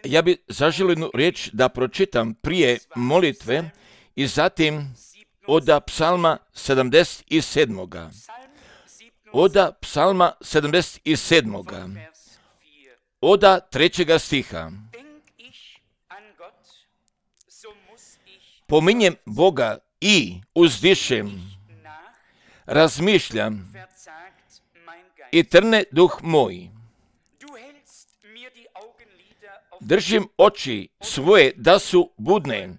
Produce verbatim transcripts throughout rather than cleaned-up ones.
Ja bi zaželio jednu riječ da pročitam prije molitve i zatim od psalma sedamdeset sedam. Od psalma sedamdeset sedam. Od trećega stiha. Pominjem Boga i uzdišem, razmišljam i trne duh moj. Držim oči svoje da su budne,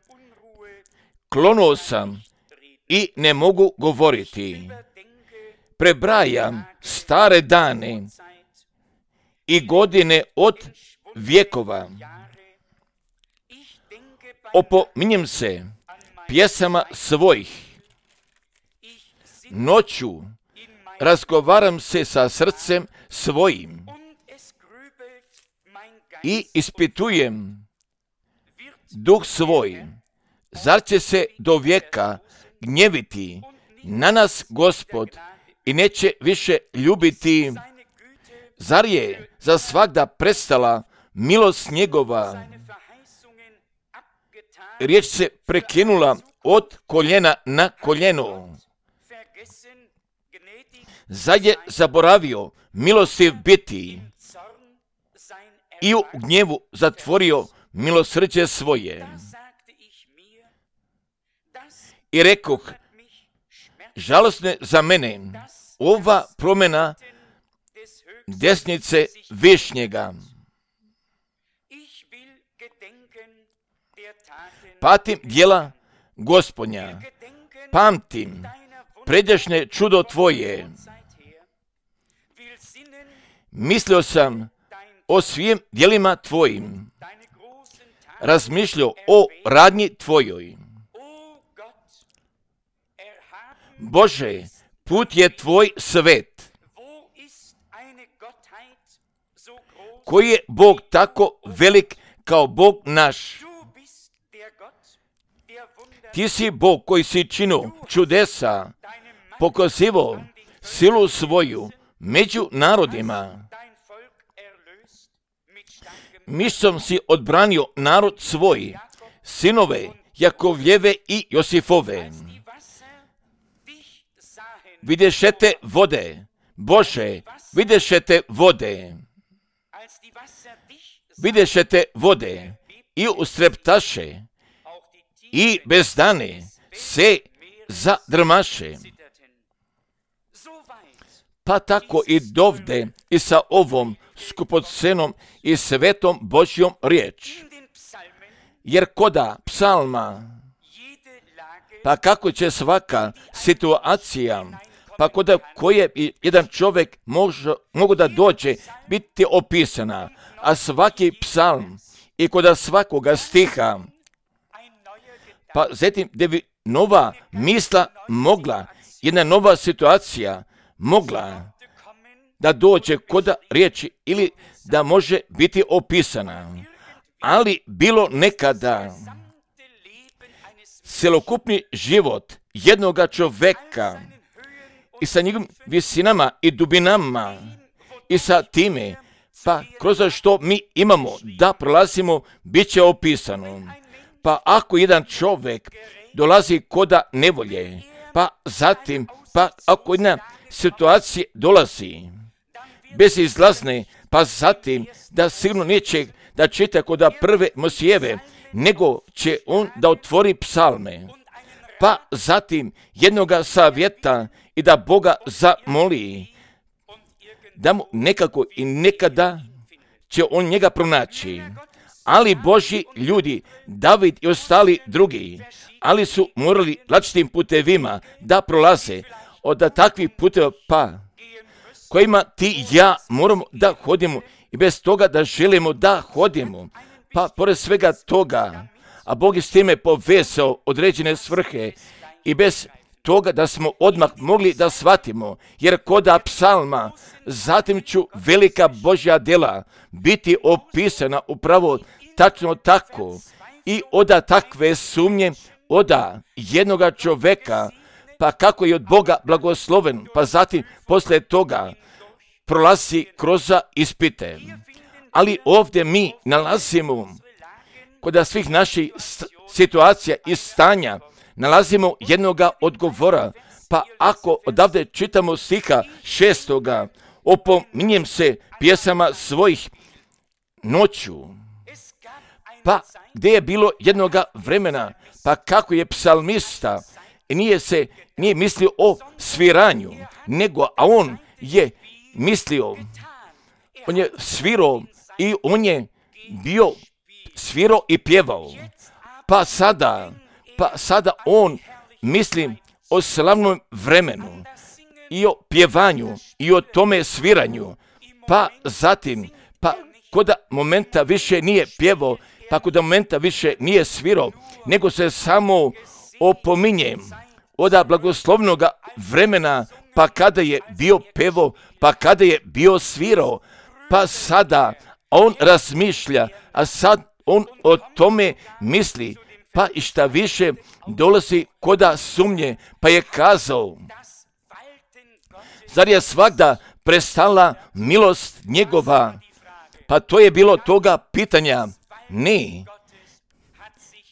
klonuo sam i ne mogu govoriti. Prebrajam stare dane i godine od vjekova. Opominjem se pjesama svojih. Noću razgovaram se sa srcem svojim i ispitujem duh svoj. Zar će se do vijeka gnjeviti na nas Gospod i neće više ljubiti? Zar je za svagda prestala milost njegova? Riječ se prekinula od koljena na koljeno. Zar je zaboravio milostiv biti i u gnjevu zatvorio milosrđe svoje? I rekoh, žalosne za mene ova promjena desnice Višnjega. Patim djela Gospodnja, pamtim pređašnje čudo tvoje. Mislio sam o svim djelima tvojim, razmišljao o radnji tvojoj. Bože, put je tvoj svet. Koji je Bog tako velik kao Bog naš? Ti si Bog koji si činio čudesa, pokazivao silu svoju među narodima. Mišom si odbranio narod svoj, sinove Jakovljeve i Josifove. Vidješete vode, Bože, vidješete vode. Vidješete vode i ustreptaše i bez dane se zadrmaše. Pa tako i dovde i sa ovom skupocenom i svetom Božjom riječ. Jer koda psalma, pa kako će svaka situacija, pa koda koje jedan čovjek može, mogu da dođe biti opisana, a svaki psalm i koda svakoga stiha, pa zatim da bi nova misla mogla, jedna nova situacija mogla da dođe koda riječi ili da može biti opisana. Ali bilo nekada celokupni život jednoga čoveka i sa njegovim visinama i dubinama i sa time, pa kroz što mi imamo da prolazimo, bit će opisano. Pa ako jedan čovjek dolazi koda nevolje, pa zatim, pa ako jedna situacija dolazi bezizlazne, pa zatim da sigurno neće da čita koda prve Mosijeve, nego će on da otvori psalme, pa zatim jednoga savjeta i da Boga zamoli, da mu nekako i nekada će on njega pronaći. Ali Božji ljudi, David i ostali drugi, ali su morali različitim putevima da prolaze od takvih puteva, pa kojima ti i ja moramo da hodimo i bez toga da želimo da hodimo. Pa pored svega toga, a Bog je s time povezao određene svrhe i bez toga da smo odmah mogli da shvatimo, jer koda psalma, zatim ću velika Božja djela biti opisana upravo tačno tako i oda takve sumnje, oda jednoga čoveka, pa kako je od Boga blagosloven, pa zatim posle toga prolazi kroz ispite. Ali ovdje mi nalazimo kod svih naših situacija i stanja, nalazimo jednoga odgovora. Pa ako odavde čitamo stiha šestoga, opominjem se pjesama svojih noću. Pa gdje je bilo jednoga vremena, pa kako je psalmista, nije se, nije mislio o sviranju, nego, a on je mislio, on je svirao i on je bio svirao i pjevao. Pa sada, pa sada on misli o slavnom vremenu i o pjevanju i o tome sviranju. Pa zatim, pa kod momenta više nije pjevao, pa kod momenta više nije svirao, nego se samo opominje od blagoslovnoga vremena, pa kada je bio pevo, pa kada je bio svirao, pa sada on razmišlja, a sad on o tome misli, pa i šta više dolazi koda sumnje, pa je kazao, zar je svagda prestala milost njegova? Pa to je bilo toga pitanja. Ne,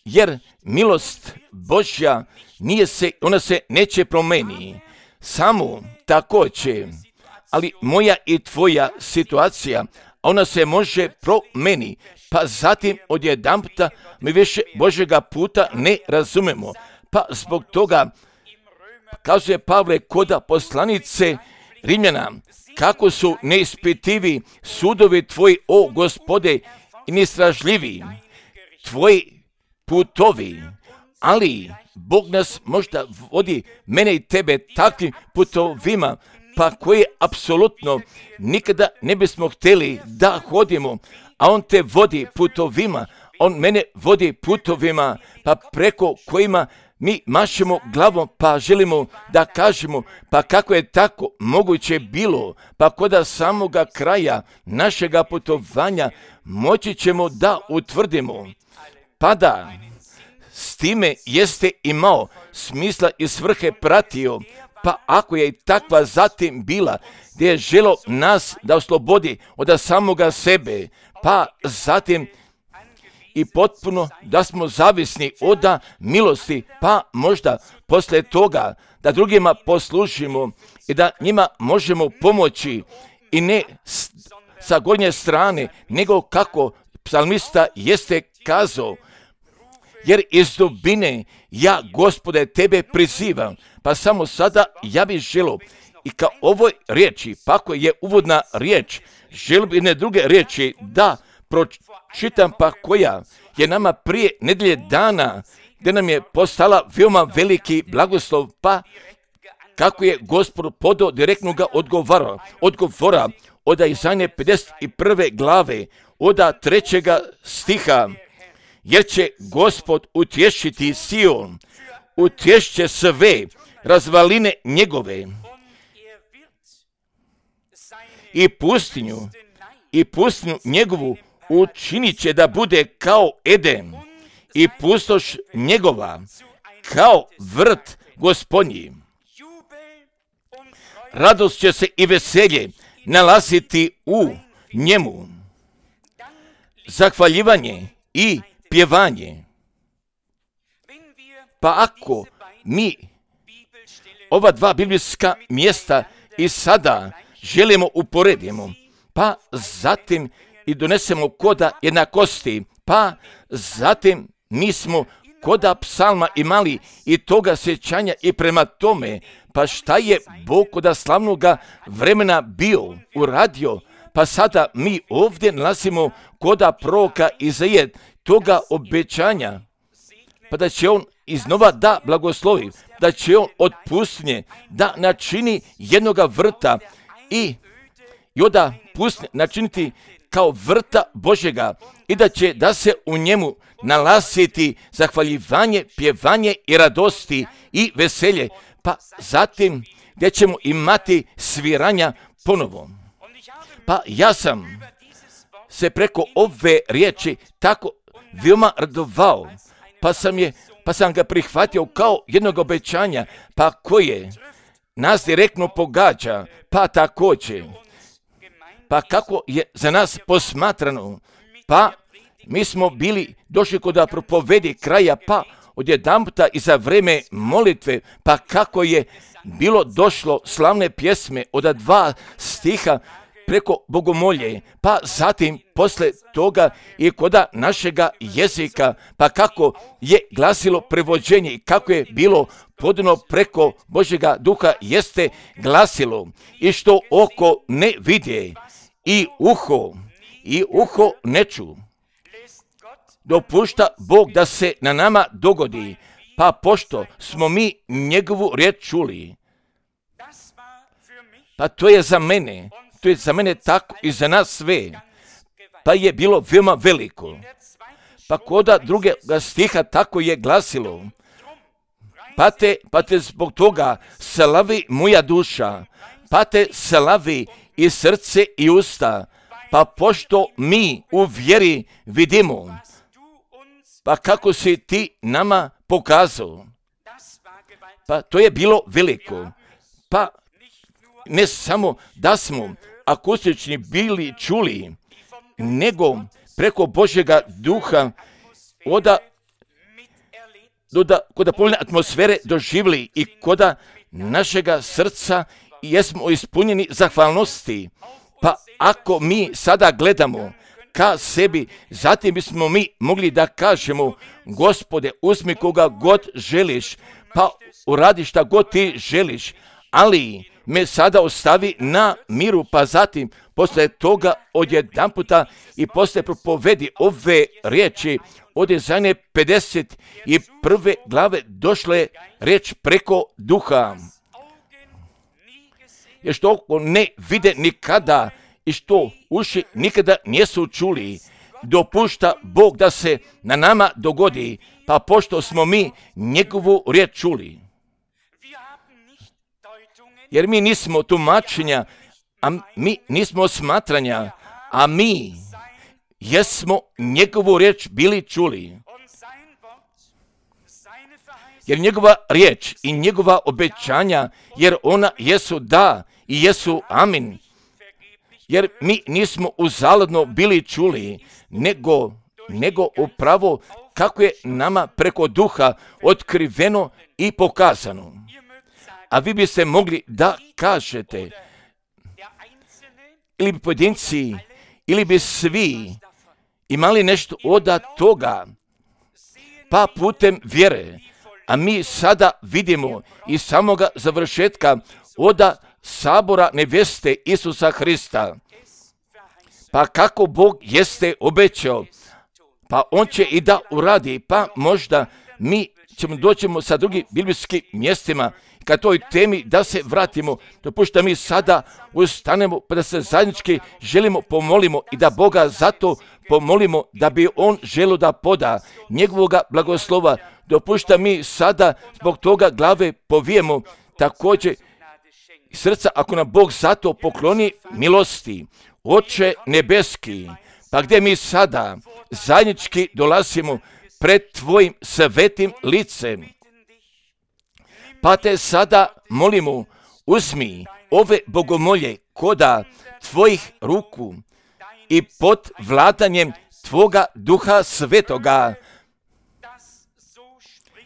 jer milost Božja nije se, ona se neće promeniti, samo tako će, ali moja i tvoja situacija, ona se može promeniti, pa zatim odjedanputa mi više Božjega puta ne razumemo, pa zbog toga kazuje Pavle koda poslanice Rimljana, kako su neispitivi sudovi tvoji, o Gospode, i neistražljivi tvoji putovi, ali Bog nas možda vodi, mene i tebe, takvim putovima, pa koje apsolutno nikada ne bismo htjeli da hodimo, a on te vodi putovima, on mene vodi putovima, pa preko kojima mi mašemo glavom, pa želimo da kažemo, pa kako je tako moguće bilo, pa koda samoga kraja našega putovanja moći ćemo da utvrdimo, pa da s time jeste imao smisla i svrhe pratio, pa ako je i takva zatim bila, gdje je želo nas da oslobodi od samoga sebe, pa zatim i potpuno da smo zavisni od milosti, pa možda poslije toga da drugima poslužimo i da njima možemo pomoći i ne sa gornje strane, nego kako psalmista jeste kazao, jer iz dubine ja, Gospode, tebe prizivam, pa samo sada ja bih želio i kao ovoj riječi, pa ako je uvodna riječ, želio bih jedne druge riječi da pročitam, pa koja je nama prije nedelje dana, gdje nam je postala veoma veliki blagoslov, pa kako je Gospod podao direktnoga odgovora, odgovora od Izaije pedeset prve glave, od trećega stiha, jer će Gospod utješiti Sion, utješće sve razvaline njegove i pustinju, i pustinju njegovu učinit će da bude kao Eden i pustoš njegova kao vrt Gospodnji. Radost će se i veselje nalaziti u njemu, zahvaljivanje i pjevanje. Pa ako mi ova dva biblijska mjesta i sada želimo uporedimo, pa zatim i donesemo koda jednakosti, pa zatim mi smo koda psalma imali i toga sjećanja i prema tome, pa šta je Bog koda slavnoga vremena bio uradio, pa sada mi ovdje nalazimo koda proroka Izaije toga obećanja, pa da će on iznova da blagoslovi, da će on od pustinje da načini jednoga vrta i i onda pustinje načiniti kao vrta Božjega i da će da se u njemu nalaziti zahvaljivanje, pjevanje i radosti i veselje, pa zatim gdje ćemo imati sviranja ponovo. Pa ja sam se preko ove riječi tako veoma radovao, pa sam, je, pa sam ga prihvatio kao jednog obećanja, pa koje nas direktno pogađa, pa također pa kako je za nas posmatrano, pa mi smo bili došli kod da propovedi kraja, pa odjedanputa i za vreme molitve, pa kako je bilo došlo slavne pjesme od dva stiha preko bogomolje, pa zatim posle toga i koda našega jezika, pa kako je glasilo prevođenje i kako je bilo podano preko Božjega duha, jeste glasilo i što oko ne vidje i uho i uho ne ču. Dopušta Bog da se na nama dogodi, pa pošto smo mi njegovu riječ čuli, pa to je za mene, to je za mene tako i za nas sve, pa je bilo veoma veliko. Pa koda drugega stiha tako je glasilo, pa te, pa te zbog toga slavi moja duša, pa te slavi i srce i usta, pa pošto mi u vjeri vidimo, pa kako si ti nama pokazao, pa to je bilo veliko. Pa ne samo da smo akustični bili čuli, nego preko Božjega duha oda koda povoljne atmosfere doživjeli i koda našega srca jesmo ispunjeni zahvalnosti. Pa ako mi sada gledamo ka sebi, zatim bismo mi mogli da kažemo, Gospode, uzmi koga god želiš, pa uradi šta god ti želiš, ali me sada ostavi na miru, pa zatim posle toga odjedanputa i posle propovedi ove riječi od Izaije pedeset prve glave došle riječ preko duha. Jer što oko ne vide nikada i što uši nikada nisu čuli, dopušta Bog da se na nama dogodi, pa pošto smo mi njegovu riječ čuli. Jer mi nismo tumačenja, a mi nismo smatranja, a mi jesmo njegovu riječ bili čuli. Jer njegova riječ i njegova obećanja, jer ona jesu da i jesu amin. Jer mi nismo uzaludno bili čuli, nego, nego upravo kako je nama preko duha otkriveno i pokazano. A vi biste mogli da kažete, ili bi pojedinci, ili bi svi imali nešto od toga, pa putem vjere, a mi sada vidimo iz samoga završetka od sabora neveste Isusa Hrista, pa kako Bog jeste obećao, pa on će i da uradi, pa možda mi ćemo doćemo sa drugim biblijskim mjestima ka toj temi da se vratimo, dopušta mi sada ustanemo pa da se zajednički želimo pomolimo i da Boga zato pomolimo da bi on želio da poda njegovoga blagoslova. Dopušta mi sada zbog toga glave povijemo također srca ako nam Bog zato pokloni milosti. Oče nebeski, pa gdje mi sada zajednički dolazimo pred tvojim svetim licem, pa te sada molimo, uzmi ove bogomolje koda tvojih ruku i pod vladanjem tvoga duha svetoga,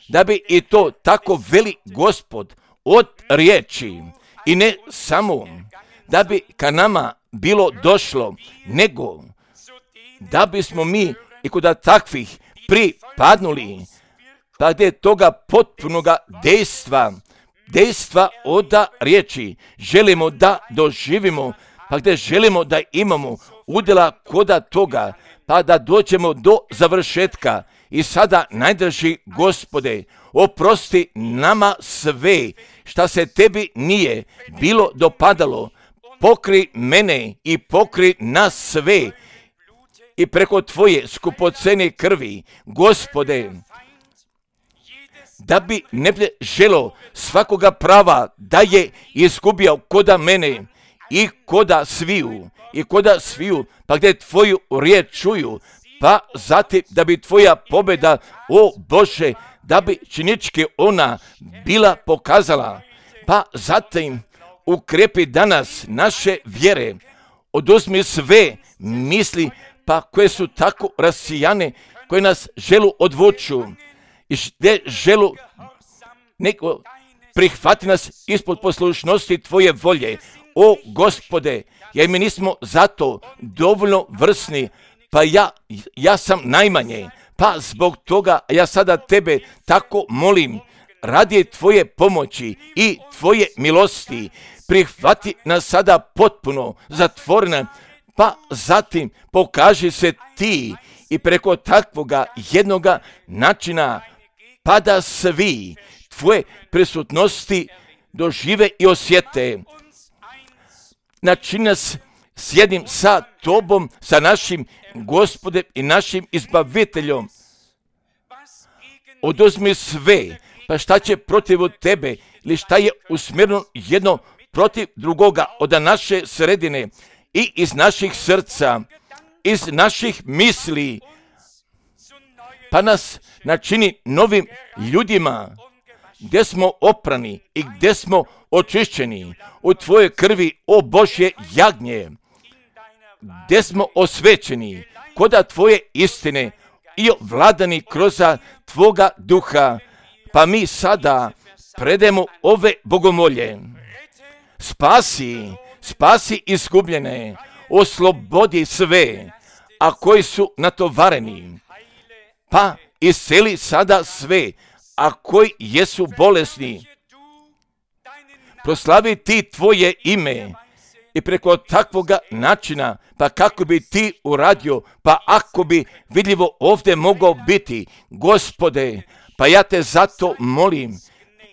da bi i to tako veli Gospod od riječi i ne samo da bi ka nama bilo došlo, nego da bismo mi i kod takvih pripadnuli, pa gdje toga potpunoga dejstva, dejstva od riječi želimo da doživimo, pa gdje želimo da imamo udjela koda toga, pa da dođemo do završetka. I sada, najdraži Gospode, oprosti nama sve šta se tebi nije bilo dopadalo, pokri mene i pokri nas sve i preko tvoje skupocene krvi, Gospode, da bi ne bi želo svakoga prava da je izgubio koda mene i koda sviju, i koda sviju, pa gdje tvoju riječ čuju, pa zatim da bi tvoja pobjeda, o Bože, da bi činički ona bila pokazala, pa zatim ukrepi danas naše vjere oduzmi sve misli, pa koje su tako rasijane, koje nas želu odvuču i gdje želu neko prihvati nas ispod poslušnosti Tvoje volje. O Gospode, jer mi nismo zato dovoljno vrsni, pa ja, ja sam najmanje, pa zbog toga ja sada Tebe tako molim, radi Tvoje pomoći i Tvoje milosti, prihvati nas sada potpuno zatvorena, pa zatim pokaži se Ti i preko takvoga jednoga načina, pa da svi Tvoje prisutnosti dožive i osjete. Načini nas s jednim sa Tobom, sa našim Gospodem i našim Izbaviteljom. Oduzmi sve, pa šta će protiv Tebe, ili šta je usmjereno jedno protiv drugoga od naše sredine i iz naših srca, iz naših misli, pa nas načini novim ljudima, gdje smo oprani i gdje smo očišćeni u Tvojoj krvi, o Božje jagnje, gdje smo osvećeni koda Tvoje istine i ovladani kroz Tvoga duha, pa mi sada predemo ove bogomolje. Spasi, spasi izgubljene, oslobodi sve, a koji su natovareni, pa isceli sada sve, a koji jesu bolesni. Proslavi Ti Tvoje ime i preko takvoga načina, pa kako bi Ti uradio, pa ako bi vidljivo ovdje mogao biti, Gospode, pa ja Te zato molim,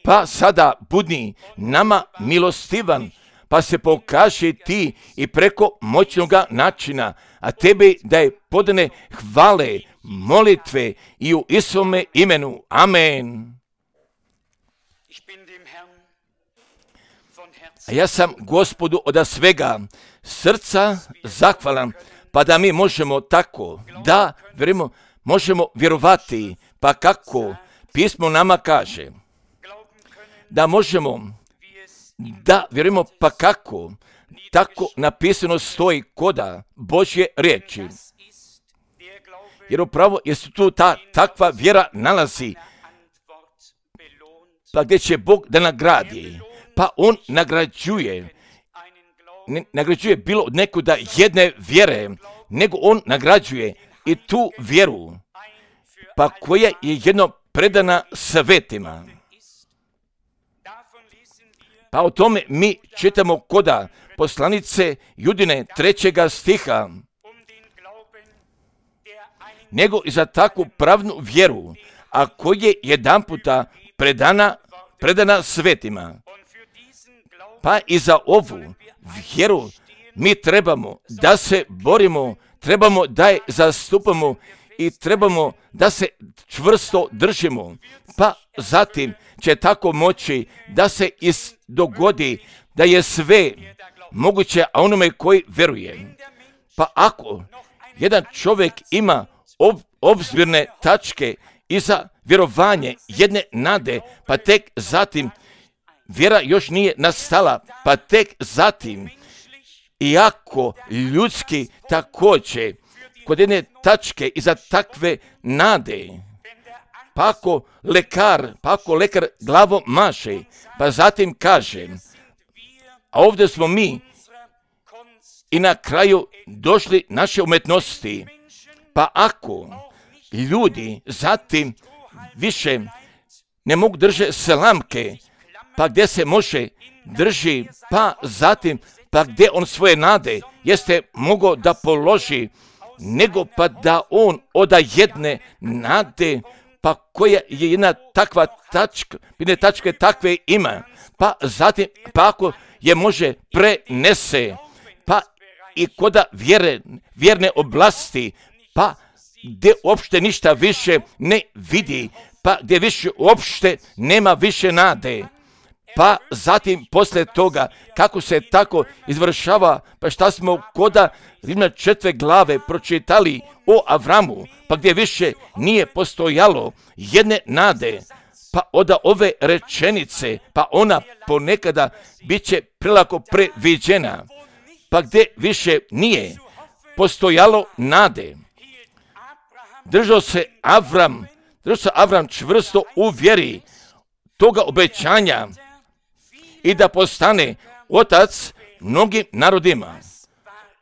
pa sada budni nama milostivan, pa se pokaži Ti i preko moćnoga načina, a Tebi da je podane hvale, molitve i u Isovome imenu. Amen. A ja sam Gospodu od svega srca zahvalan, pa da mi možemo tako, da vjerujemo, možemo vjerovati, pa kako pismo nama kaže, da možemo, da vjerujemo, pa kako, tako napisano stoji koda Božje riječi. Jer upravo jesu tu ta takva vjera nalazi, pa gdje će Bog da nagradi, pa On nagrađuje, ne nagrađuje bilo od nekuda jedne vjere, nego On nagrađuje i tu vjeru, pa koja je jedno predana svetima. Pa o tome mi čitamo koda poslanice Judine trećega stiha, nego i za takvu pravnu vjeru, a koja je jedan puta predana, predana svetima. Pa i za ovu vjeru mi trebamo da se borimo, trebamo da je zastupamo i trebamo da se čvrsto držimo. Pa zatim će tako moći da se dogodi da je sve moguće, a onome koji vjeruje. Pa ako jedan čovjek ima ob, obzirne tačke i za vjerovanje jedne nade, pa tek zatim vjera još nije nastala, pa tek zatim, iako ljudski također, kod jedne tačke i za takve nade, pa ako lekar, pa ako lekar glavom maše, pa zatim kaže, a ovdje smo mi i na kraju došli naše umetnosti, pa ako ljudi zatim više ne mogu držati slamke, pa gdje se može drži, pa zatim, pa gdje on svoje nade jeste mogao da položi, nego pa da on oda jedne nade, pa koja je jedna takva tačka, jedne tačke takve ima, pa zatim, pa ako je može prenese, pa i koda vjere, vjerne oblasti, pa gdje uopšte ništa više ne vidi, pa gdje više uopšte nema više nade. Pa zatim poslije toga, kako se tako izvršava, pa šta smo koda Rimljana četvrte glave pročitali o Avramu, pa gdje više nije postojalo jedne nade, pa od ove rečenice, pa ona ponekada bit će prelako previđena, pa gdje više nije postojalo nade. Držao se Avram, držao se Avram čvrsto u vjeri toga obećanja i da postane otac mnogim narodima.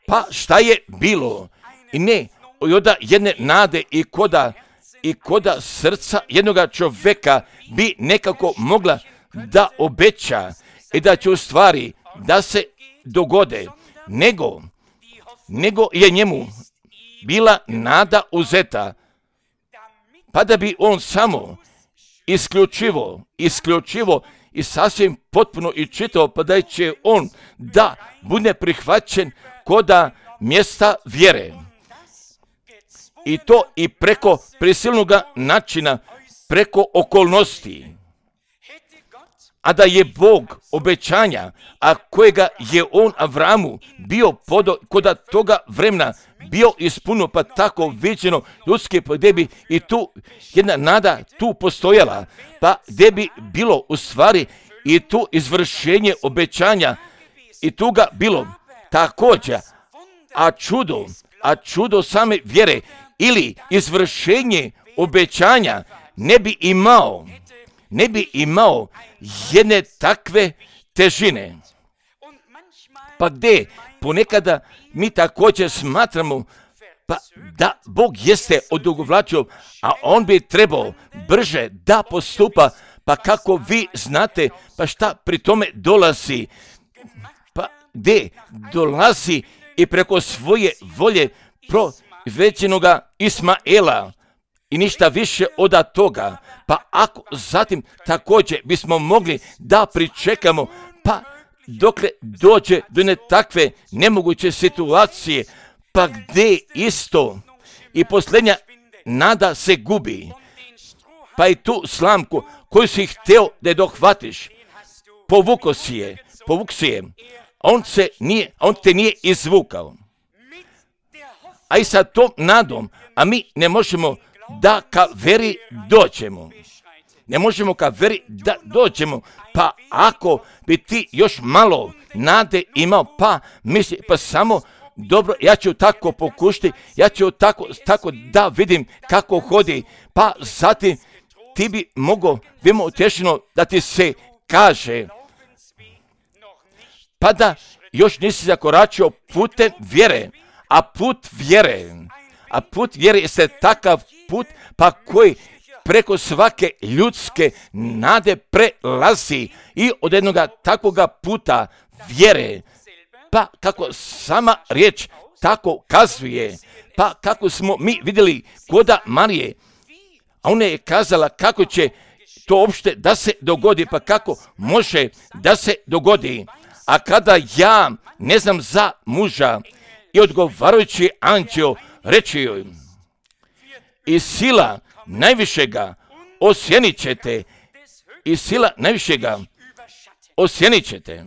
Pa šta je bilo? I ne, od jedne nade i koda, i koda srca jednoga čovjeka bi nekako mogla da obeća i da će u stvari da se dogode, nego, nego je njemu bila nada uzeta, pa da bi on samo isključivo, isključivo i sasvim potpuno i čitao, pa da će on da bude prihvaćen koda mjesta vjere. I to i preko prisilnog načina, preko okolnosti. A da je Bog obećanja, a kojega je on Avramu bio podo, koda toga vremena bio ispuno, pa tako viđeno ljudske, pa gdje bi i tu jedna nada tu postojala, pa gdje bi bilo u stvari i tu izvršenje obećanja i tu ga bilo također, a čudo, a čudo same vjere ili izvršenje obećanja ne bi imao, ne bi imao jedne takve težine. Pa gdje ponekada mi također smatramo pa da Bog jeste odugovlačio, a on bi trebao brže da postupa, pa kako vi znate, pa šta pri tome dolazi, pa gdje dolazi i preko svoje volje provećenoga Ismaela i ništa više od toga. Pa ako zatim također bismo mogli da pričekamo, pa dokle dođe do ne takve nemoguće situacije, pa gdje isto i posljednja nada se gubi, pa i tu slamku koju si htio da je dohvatiš, povuko si je, povuk si je, on, se nije, on te nije izvukao. A i sa tom nadom, a mi ne možemo da ka veri dođemo. Ne možemo ka veri da dođemo, pa ako bi ti još malo nade imao, pa misli, pa samo dobro, ja ću tako pokušati, ja ću tako, tako da vidim kako hodi, pa zatim ti bi mogao, vimo utješeno da ti se kaže, pa da još nisi zakoračio putem vjere, a put vjere, a put vjere je takav put, pa koji preko svake ljudske nade prelazi i od jednoga takvoga puta vjere, pa kako sama riječ tako kazuje, pa kako smo mi vidjeli koda Marije, a ona je kazala kako će to uopšte da se dogodi, pa kako može da se dogodi. A kada ja ne znam za muža i odgovarajući anđeo reći joj, i sila najvišega osjenit ćete, i sila najvišega osjenit ćete.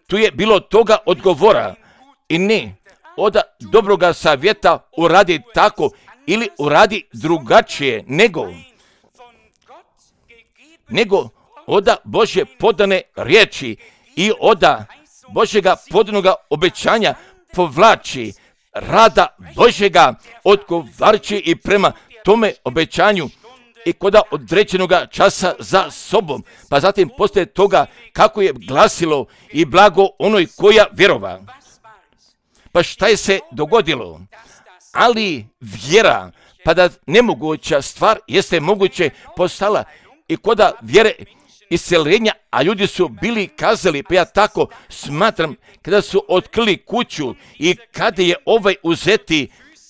Tu je bilo toga odgovora i ne od dobroga savjeta uradi tako ili uradi drugačije, nego nego od Božje podane riječi i od Božjega podanog obećanja povlači rada Božjega odgovarajući i prema tome obećanju i koda određenoga časa za sobom, pa zatim poslije toga kako je glasilo i blago onoj koja vjerova. Pa šta je se dogodilo? Ali vjera, pa da nemoguća stvar jeste moguće postala i koda vjere isceljenja, a ljudi su bili kazali, pa ja tako smatram, kada su otkrili kuću i kada je ovaj uzeti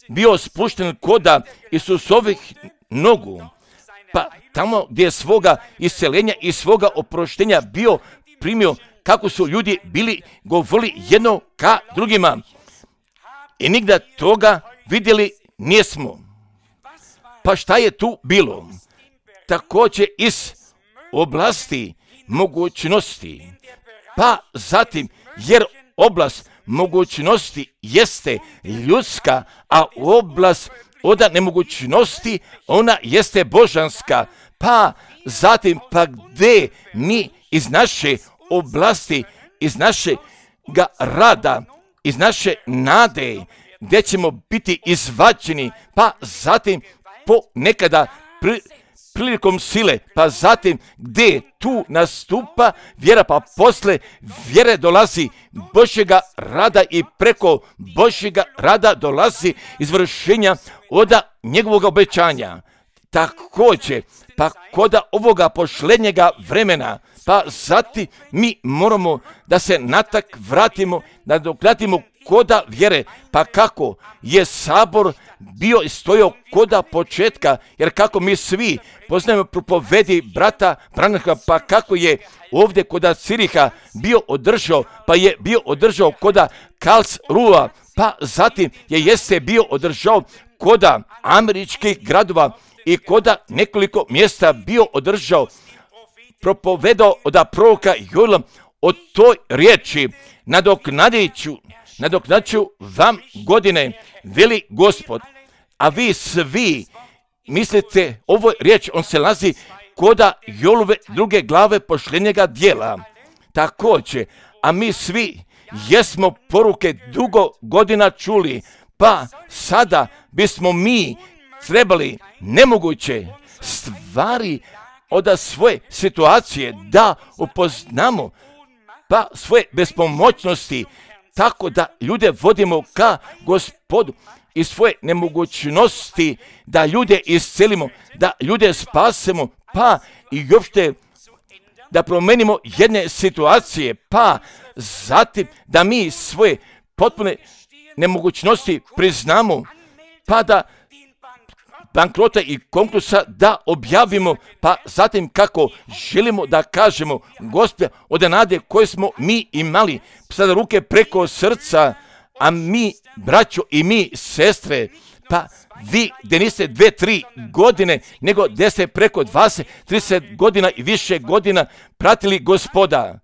bio spušten koda Isusovih nogu, pa tamo gdje je svoga isceljenja i svoga oproštenja bio primio, kako su ljudi bili govorili jedno ka drugima. I nigda toga vidjeli nismo. Pa šta je tu bilo? Također iz oblasti mogućnosti. Pa zatim, jer oblast mogućnosti jeste ljudska, a oblast od nemogućnosti ona jeste božanska. Pa zatim, pa gdje mi iz naše oblasti, iz naše ga rada, iz naše nade, gdje ćemo biti izvađeni, pa zatim po nekada pri, prilikom sile, pa zatim gdje tu nastupa vjera, pa posle vjere dolazi Božjega rada i preko Božjega rada dolazi izvršenja od njegovog obećanja. Također, pa kod ovoga pošlednjega vremena, pa zatim mi moramo da se natak vratimo, da dokratimo koda vjere, pa kako je sabor bio i stojao koda početka, jer kako mi svi poznajemo propovedi brata Branhama, pa kako je ovdje koda Ciriha bio održao, pa je bio održao koda Karlsruhe, pa zatim je jeste bio održao koda američkih gradova i koda nekoliko mjesta bio održao, propovedao od proroka Joela o toj riječi, nadoknadiću, nadoknaću vam godine, veli Gospod. A vi svi mislite, ovo je riječ, on se lazi koda Joelove druge glave pošljenjega dijela. Također, a mi svi jesmo poruke dugo godina čuli, pa sada bismo mi trebali nemoguće stvari od svoje situacije da upoznamo, pa svoje bespomoćnosti, tako da ljude vodimo ka Gospodu i svoje nemogućnosti da ljude iscelimo, da ljude spasemo, pa i uopšte da promenimo jedne situacije, pa zatim da mi svoje potpune nemogućnosti priznamo, pa da bankrota i konkursa da objavimo, pa zatim kako želimo da kažemo, Gospode, od nade koje smo mi imali, sada ruke preko srca, a mi, braćo i mi, sestre, pa vi gdje niste dve, tri godine, nego gdje ste preko dvadeset, trideset godina i više godina pratili Gospoda,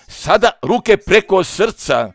sada ruke preko srca,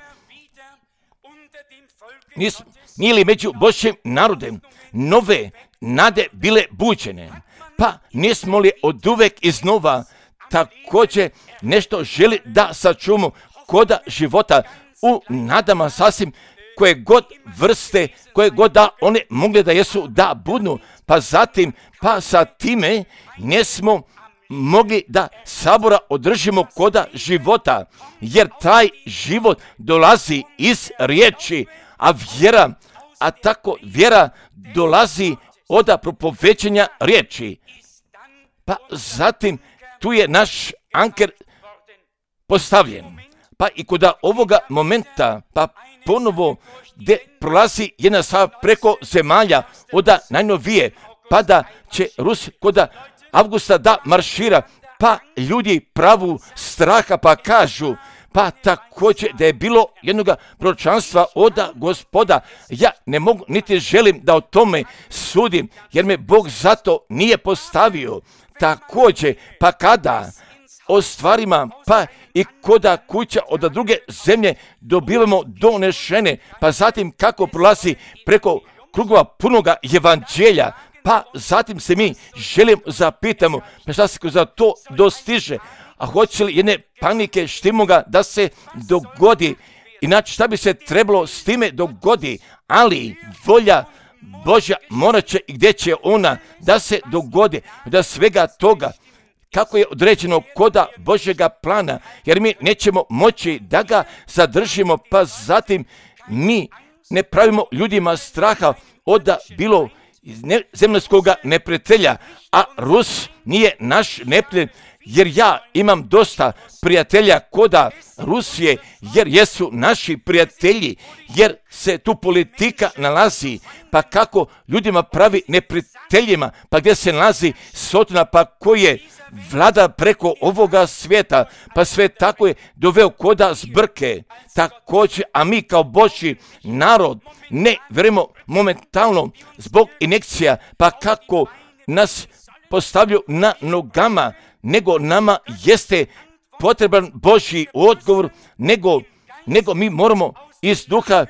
Nis, nije li među Božjim narodem nove nade bile buđene, pa nismo li od uvek iznova također nešto želi da sačuvamo koda života u nadama sasvim koje god vrste, koje god da one mogle da jesu da budnu, pa zatim, pa sa time nismo mogli da sabora održimo koda života, jer taj život dolazi iz riječi, a vjera, a tako vjera dolazi od propovećenja riječi. Pa zatim tu je naš anker postavljen. Pa i kod ovoga momenta, pa ponovo gdje prolazi jedna stvar preko zemalja od najnovije, pa da će Rus kod Avgusta da maršira, pa ljudi pravu straha pa kažu, pa također da je bilo jednog proročanstva od Gospoda. Ja ne mogu niti želim da o tome sudim, jer me Bog zato nije postavio. Također, pa kada o stvarima, pa i koda kuća od druge zemlje dobivamo donešene, pa zatim kako prolazi preko krugova punoga evanđelja, pa zatim se mi želim zapitamo, pa šta se za to dostiže, a hoće li jedne panike štimoga da se dogodi, inače šta bi se trebalo s time dogodi, ali volja Božja morat će i gdje će ona da se dogodi, da svega toga, kako je određeno koda Božjega plana, jer mi nećemo moći da ga zadržimo, pa zatim mi ne pravimo ljudima straha od bilo zemljskoga neprijatelja, a Rus nije naš neprijatelj, jer ja imam dosta prijatelja koda Rusije, jer jesu naši prijatelji, jer se tu politika nalazi, pa kako ljudima pravi neprijateljima, pa gdje se nalazi Sotona, pa koji je vlada preko ovoga svijeta, pa sve tako je doveo koda zbrke, također, a mi kao Božji narod ne vjerujemo momentalno zbog injekcija, pa kako nas postavljaju na nogama, nego nama jeste potreban Božji odgovor, nego, nego mi moramo iz duha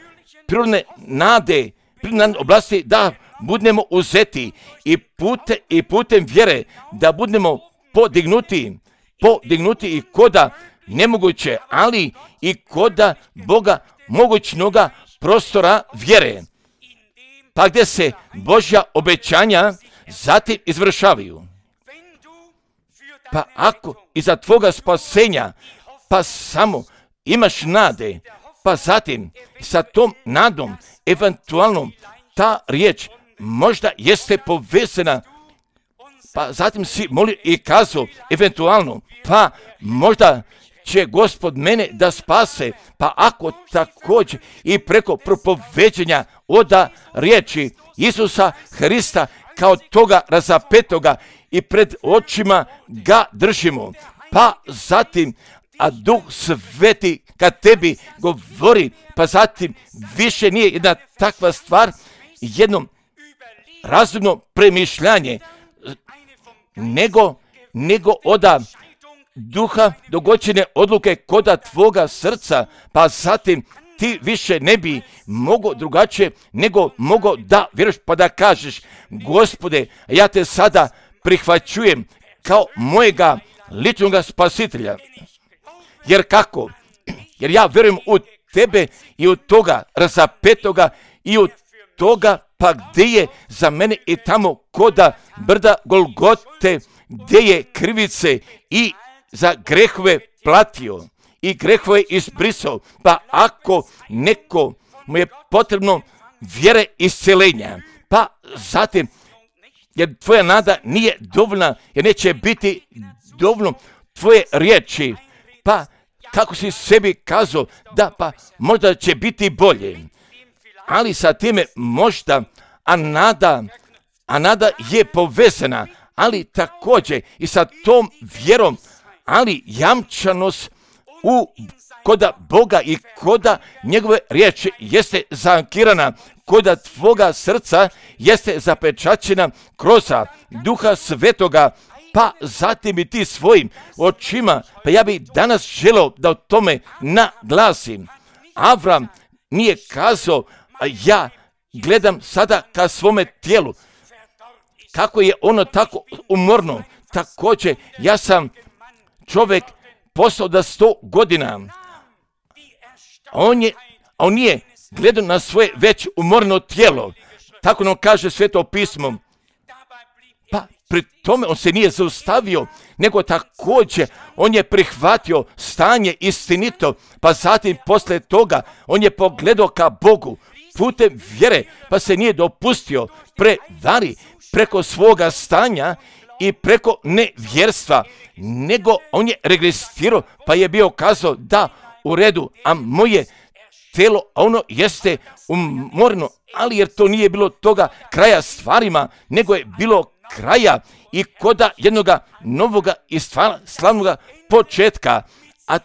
prirodne nade, prirodne oblasti da budemo uzeti i, pute, i putem vjere da budemo podignuti, podignuti i koda nemoguće, ali i koda Boga mogućnoga prostora vjere, pa gdje se Božja obećanja zatim izvršavaju. Pa ako iza tvoga spasenja, pa samo imaš nade, pa zatim sa tom nadom, eventualno ta riječ možda jeste povezana, pa zatim si molio i kazao, eventualno, pa možda će Gospod mene da spase, pa ako također i preko propoveđenja oda riječi Isusa Hrista kao toga razapetoga i pred očima ga držimo, pa zatim, a Duh Sveti kad tebi govori, pa zatim više nije jedna takva stvar, jedno razumno premišljanje, nego, nego oda duha dogoćene odluke koda tvoga srca, pa zatim ti više ne bi mogao drugačije nego mogao da vjeruješ pa da kažeš, Gospode, ja te sada prihvaćujem kao mojega ličnoga spasitelja. Jer kako? Jer ja vjerujem u tebe i u toga razapetoga i u toga pa gdje je za mene i tamo koda brda Golgote, gdje je krivice i za grehove platio i grehove izbrisao, pa ako neko mu je potrebno vjere isceljenja, pa zatim, jer tvoja nada nije dovoljna, jer neće biti dovoljno tvoje riječi, pa kako si sebi kazao, da pa možda će biti bolje, ali sa time možda, a nada, a nada je povezana, ali također i sa tom vjerom, ali jamčanost u koda Boga i koda njegove riječi jeste zankirana, koda tvoga srca jeste zapečaćena kroz Duha Svetoga, pa zatim i ti svojim očima, pa ja bih danas želeo da o tome naglasim. Avram nije kazao, a ja gledam sada ka svome tijelu, kako je ono tako umorno, također ja sam čovjek postao da sto godina, on je, on nije gledao na svoje već umorno tijelo, tako nam kaže Sveto pismo, pa pri tome on se nije zaustavio, nego također on je prihvatio stanje istinito, pa zatim poslije toga on je pogledao ka Bogu putem vjere, pa se nije dopustio prevari preko svoga stanja i preko nevjerstva, nego on je regresirao, pa je bio kazao da u redu, a moje telo, ono jeste umorno, ali jer to nije bilo toga kraja stvarima, nego je bilo kraja i koda jednoga novoga i slavnoga početka, a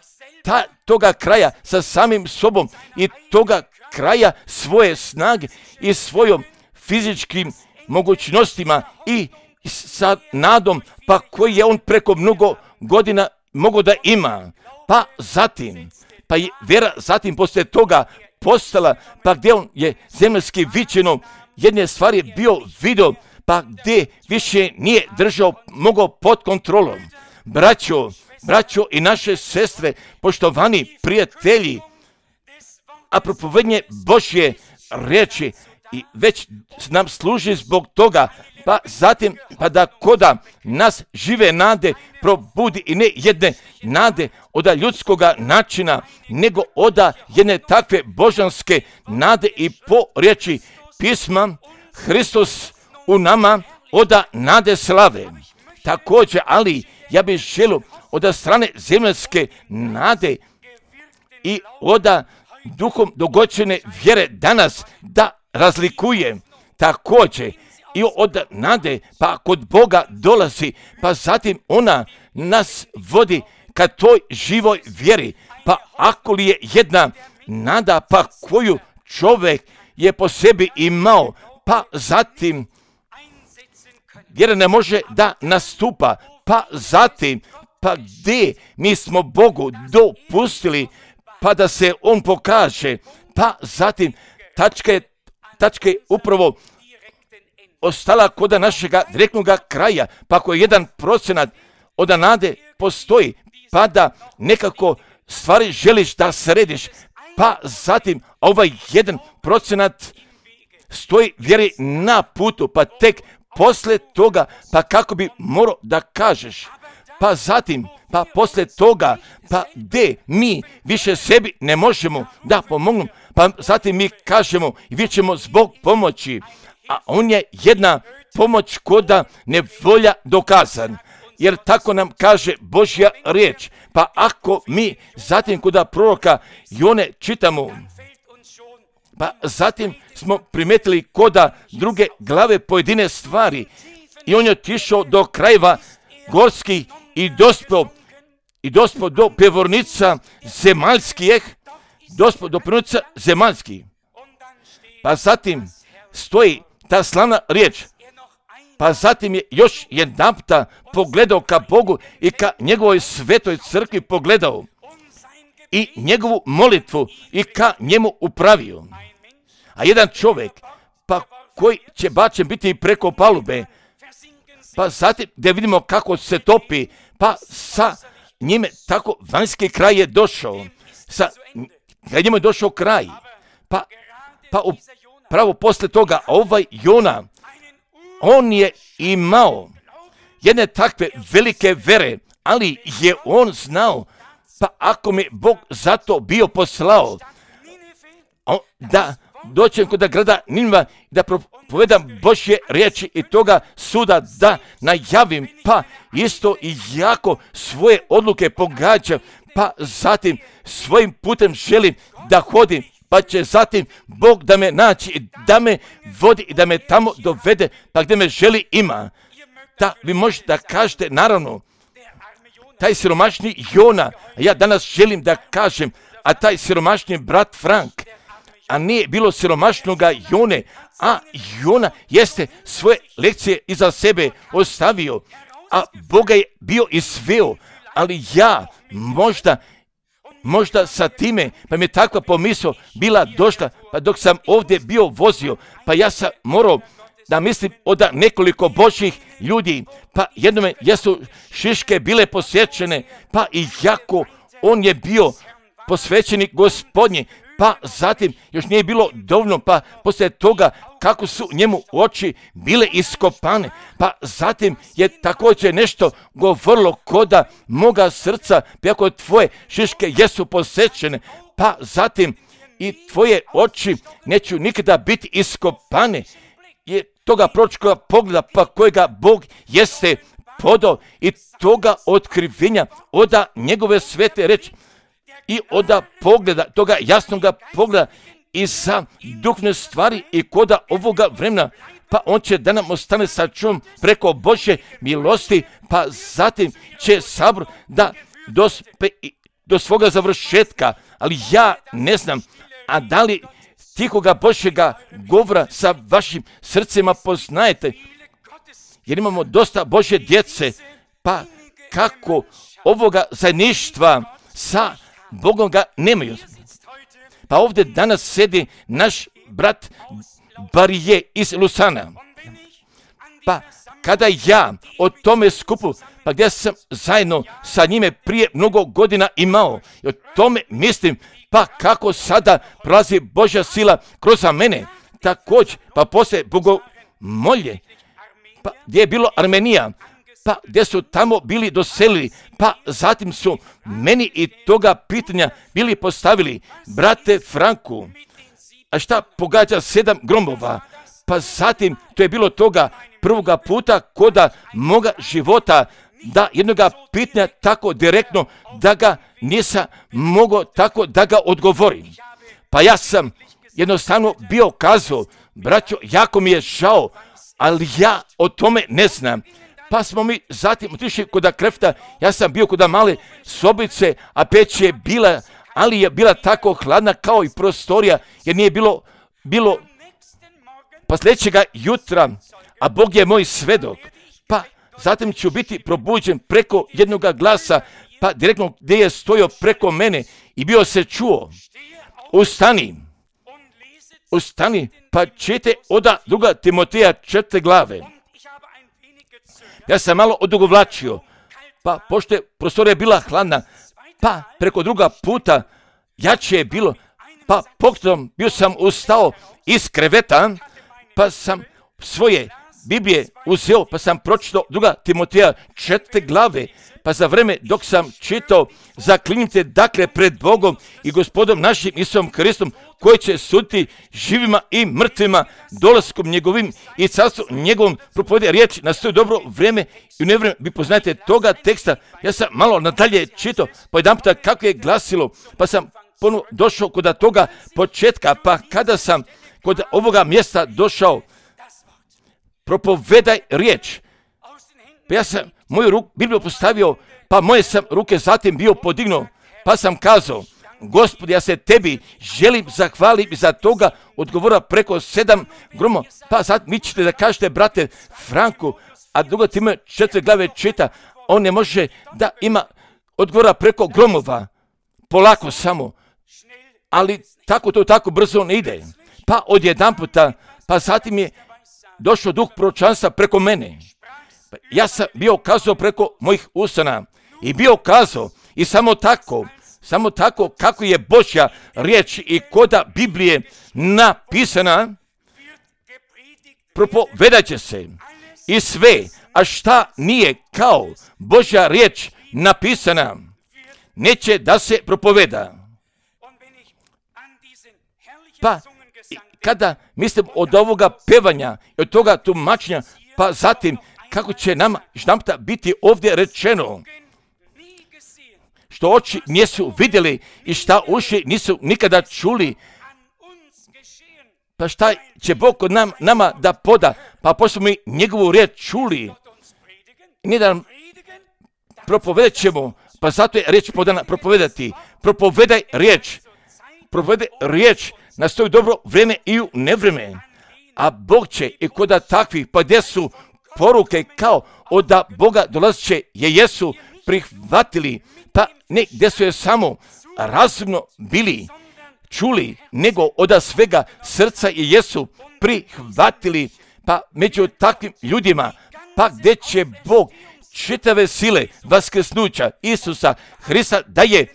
ta, toga kraja sa samim sobom i toga kraja svoje snage i svojom fizičkim mogućnostima i sa nadom, pa koji je on preko mnogo godina mogao da ima, pa zatim, pa je vjera zatim poslije toga postala, pa gdje on je zemaljski viđeno, jedne stvari je bio video, pa gdje više nije držao, mogao pod kontrolom. Braćo, braćo i naše sestre, poštovani prijatelji, a propovednje Božje riječi i već nam služi zbog toga, pa zatim pa da koda nas žive nade probudi i ne jedne nade oda ljudskoga načina, nego oda jedne takve božanske nade i po riječi pisma Hristos u nama oda nade slave. Također, ali ja bih želio oda strane zemaljske nade i oda duhom dogoćene vjere danas da razlikuje također i od nade, pa kod Boga dolazi, pa zatim ona nas vodi ka toj živoj vjeri, pa ako li je jedna nada, pa koju čovjek je po sebi imao, pa zatim vjera ne može da nastupa, pa zatim, pa gdje mi smo Bogu dopustili, pa da se on pokaže, pa zatim tačka je, tačka je upravo ostala kod našega direktnog kraja, pa ako je jedan procenat od nade postoji, pa da nekako stvari želiš da središ, pa zatim ovaj jedan procenat stoji vjeri na putu, pa tek poslije toga, pa kako bi morao da kažeš, pa zatim, pa poslije toga, pa gdje mi više sebi ne možemo da pomognu, pa zatim mi kažemo i vi ćemo zbog pomoći, a on je jedna pomoć koda nevolja dokazan, jer tako nam kaže Božja riječ, pa ako mi zatim koda proroka Jone čitamo, pa zatim smo primetili koda druge glave pojedine stvari i on je otišao do krajeva gorskih i dospio i dospio do pevornica zemaljskih, dospio do pevornica zemaljskih. Pa zatim stoji ta slavna riječ, pa zatim je još jedanputa pogledao ka Bogu i ka njegovoj svetoj crkvi pogledao i njegovu molitvu i ka njemu upravio. A jedan čovjek, pa koji će bačen biti preko palube, pa zatim da vidimo kako se topi, pa sa njime tako vanjski kraj je došao, sa njemu je došao kraj, pa, pa upravo posle toga ovaj Jona, on je imao jedne takve velike vere, ali je on znao, pa ako mi Bog zato bio poslao, da doćem kod grada Ninva, da propovedam Božje riječi i toga suda da najavim, pa isto i jako svoje odluke pogađam, pa zatim svojim putem želim da hodim, pa će zatim Bog da me naći i da me vodi i da me tamo dovede, pa gdje me želi ima. Da vi možete da kažete, naravno, taj siromašni Jona, ja danas želim da kažem, a taj siromašni brat Frank, a nije bilo siromašnoga Jone, a Jona jeste svoje lekcije iza sebe ostavio, a Boga je bio izveo, ali ja možda, možda sa time, pa mi je takva pomisao bila došla, pa dok sam ovdje bio vozio, pa ja sam morao da mislim od nekoliko Božjih ljudi, pa jednome jesu šiške bile posjećene, pa i jako on je bio posvećenik Gospodnji, pa zatim još nije bilo dovoljno, pa poslije toga kako su njemu oči bile iskopane, pa zatim je također nešto govorilo koda moga srca, pa ako tvoje šiške jesu posjećene, pa zatim i tvoje oči neću nikada biti iskopane, je toga proročkoga pogleda, pa kojega Bog jeste podao i toga otkrivenja oda njegove svete reči i oda pogleda, toga jasnoga pogleda i za duhovne stvari i koda ovoga vremena, pa on će da nam ostane sačuvan preko Božje milosti, pa zatim će sabor da dospe do svoga završetka, ali ja ne znam, a da li tihoga Božjega govora sa vašim srcima poznajete, jer imamo dosta Božje djece, pa kako ovoga zajedništva sa Bogom ga nemaju. Pa ovdje danas sedi naš brat Barije iz Lusana. Pa kada ja o tome skupu, pa gdje sam zajedno sa njime prije mnogo godina imao, i o tome mislim, pa kako sada prolazi Božja sila kroz mene, također, pa poslije bogomolje, pa gdje je bilo Armenija, pa gdje su tamo bili doselili, pa zatim su meni i toga pitanja bili postavili, brate Franku, a šta pogađa sedam gromova, pa zatim to je bilo toga prvoga puta koda moga života, da jednoga pitanja tako direktno da ga nisam mogao tako da ga odgovorim. Pa ja sam jednostavno bio kazao, braćo, jako mi je žao, ali ja o tome ne znam. Pa smo mi zatim otišli kod krefta, ja sam bio kod male sobice, a peć je bila, ali je bila tako hladna kao i prostorija, jer nije bilo, bilo pa sljedećega jutra, a Bog je moj svedok, pa zatim ću biti probuđen preko jednoga glasa, pa direktno gdje je stojao preko mene i bio se čuo, ustani, ustani, pa čite oda druga Timoteja četvrte glave. Ja sam malo odugovlačio, pa pošto je prostorija bila hladna, pa preko druga puta jače je bilo, pa pokretom bio sam ustao iz kreveta, pa sam svoje Biblije uzeo, pa sam pročitao druga Timoteja četvrte glave, pa za vreme dok sam čitao, zaklinjite dakle pred Bogom i Gospodom našim Isusom Hristom, koji će suditi živima i mrtvima dolaskom njegovim i carstvom njegovom, propovede riječ na svoje dobro vrijeme i u nevrijeme. Vi poznajete toga teksta, ja sam malo nadalje čitao, pa jedan puta kako je glasilo, pa sam ponovno došao kod toga početka, pa kada sam kod ovoga mjesta došao, propovedaj riječ. Pa ja sam moju ruku Bibliju postavio, pa moje sam ruke zatim bio podignuo, pa sam kazao, Gospod, ja se tebi želim zahvaliti za toga, odgovora preko sedam gromo, pa sad mi ćete da kažete, brate Franku, a drugo time četiri glave čita, on ne može da ima odgovora preko gromova, polako samo, ali tako to tako brzo ne ide. Pa odjedan puta, pa zatim je došao duh proročanstva preko mene. Ja sam bio kazao preko mojih usana i bio kazao i samo tako, samo tako kako je Božja riječ i koda Biblije napisana, propovedat će se i sve, a šta nije kao Božja riječ napisana, neće da se propoveda. Pa kada mislim od ovoga pevanja i od toga tumačenja, pa zatim kako će nama štamta biti ovdje rečeno, što oči nisu vidjeli i šta uši nisu nikada čuli, pa šta će Bog kod nam, nama da poda, pa pošto mi njegovu riječ čuli, nije da nam propovedat ćemo, pa zato je riječ podana propovedati, propovedaj riječ, propovedaj riječ na svoje dobro vrijeme i u nevrijeme, a Bog će i koda takvih, pa gdje su poruke kao od Boga dolazit će je jesu prihvatili, pa ne gdje su je samo razumno bili čuli, nego od svega srca je jesu prihvatili, pa među takvim ljudima, pa gdje će Bog čitave sile vaskrsnuća Isusa Hrista da je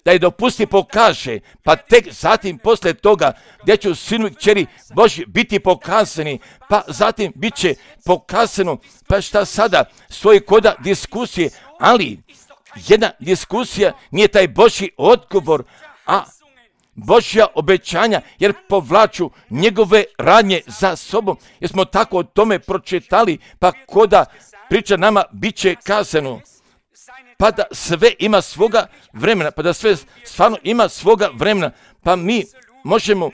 da je dopusti pokaže, pa tek zatim poslije toga gdje će sinu i kćeri Božji biti pokazani, pa zatim bit će pokazano, pa šta sada stoji koda diskusije, ali jedna diskusija nije taj Božji odgovor, a Božja obećanja, jer povlaču njegove radnje za sobom, jer smo tako o tome pročitali, pa koda priča nama bit će kazano, pa da sve ima svoga vremena, pa da sve stvarno ima svoga vremena, pa mi možemo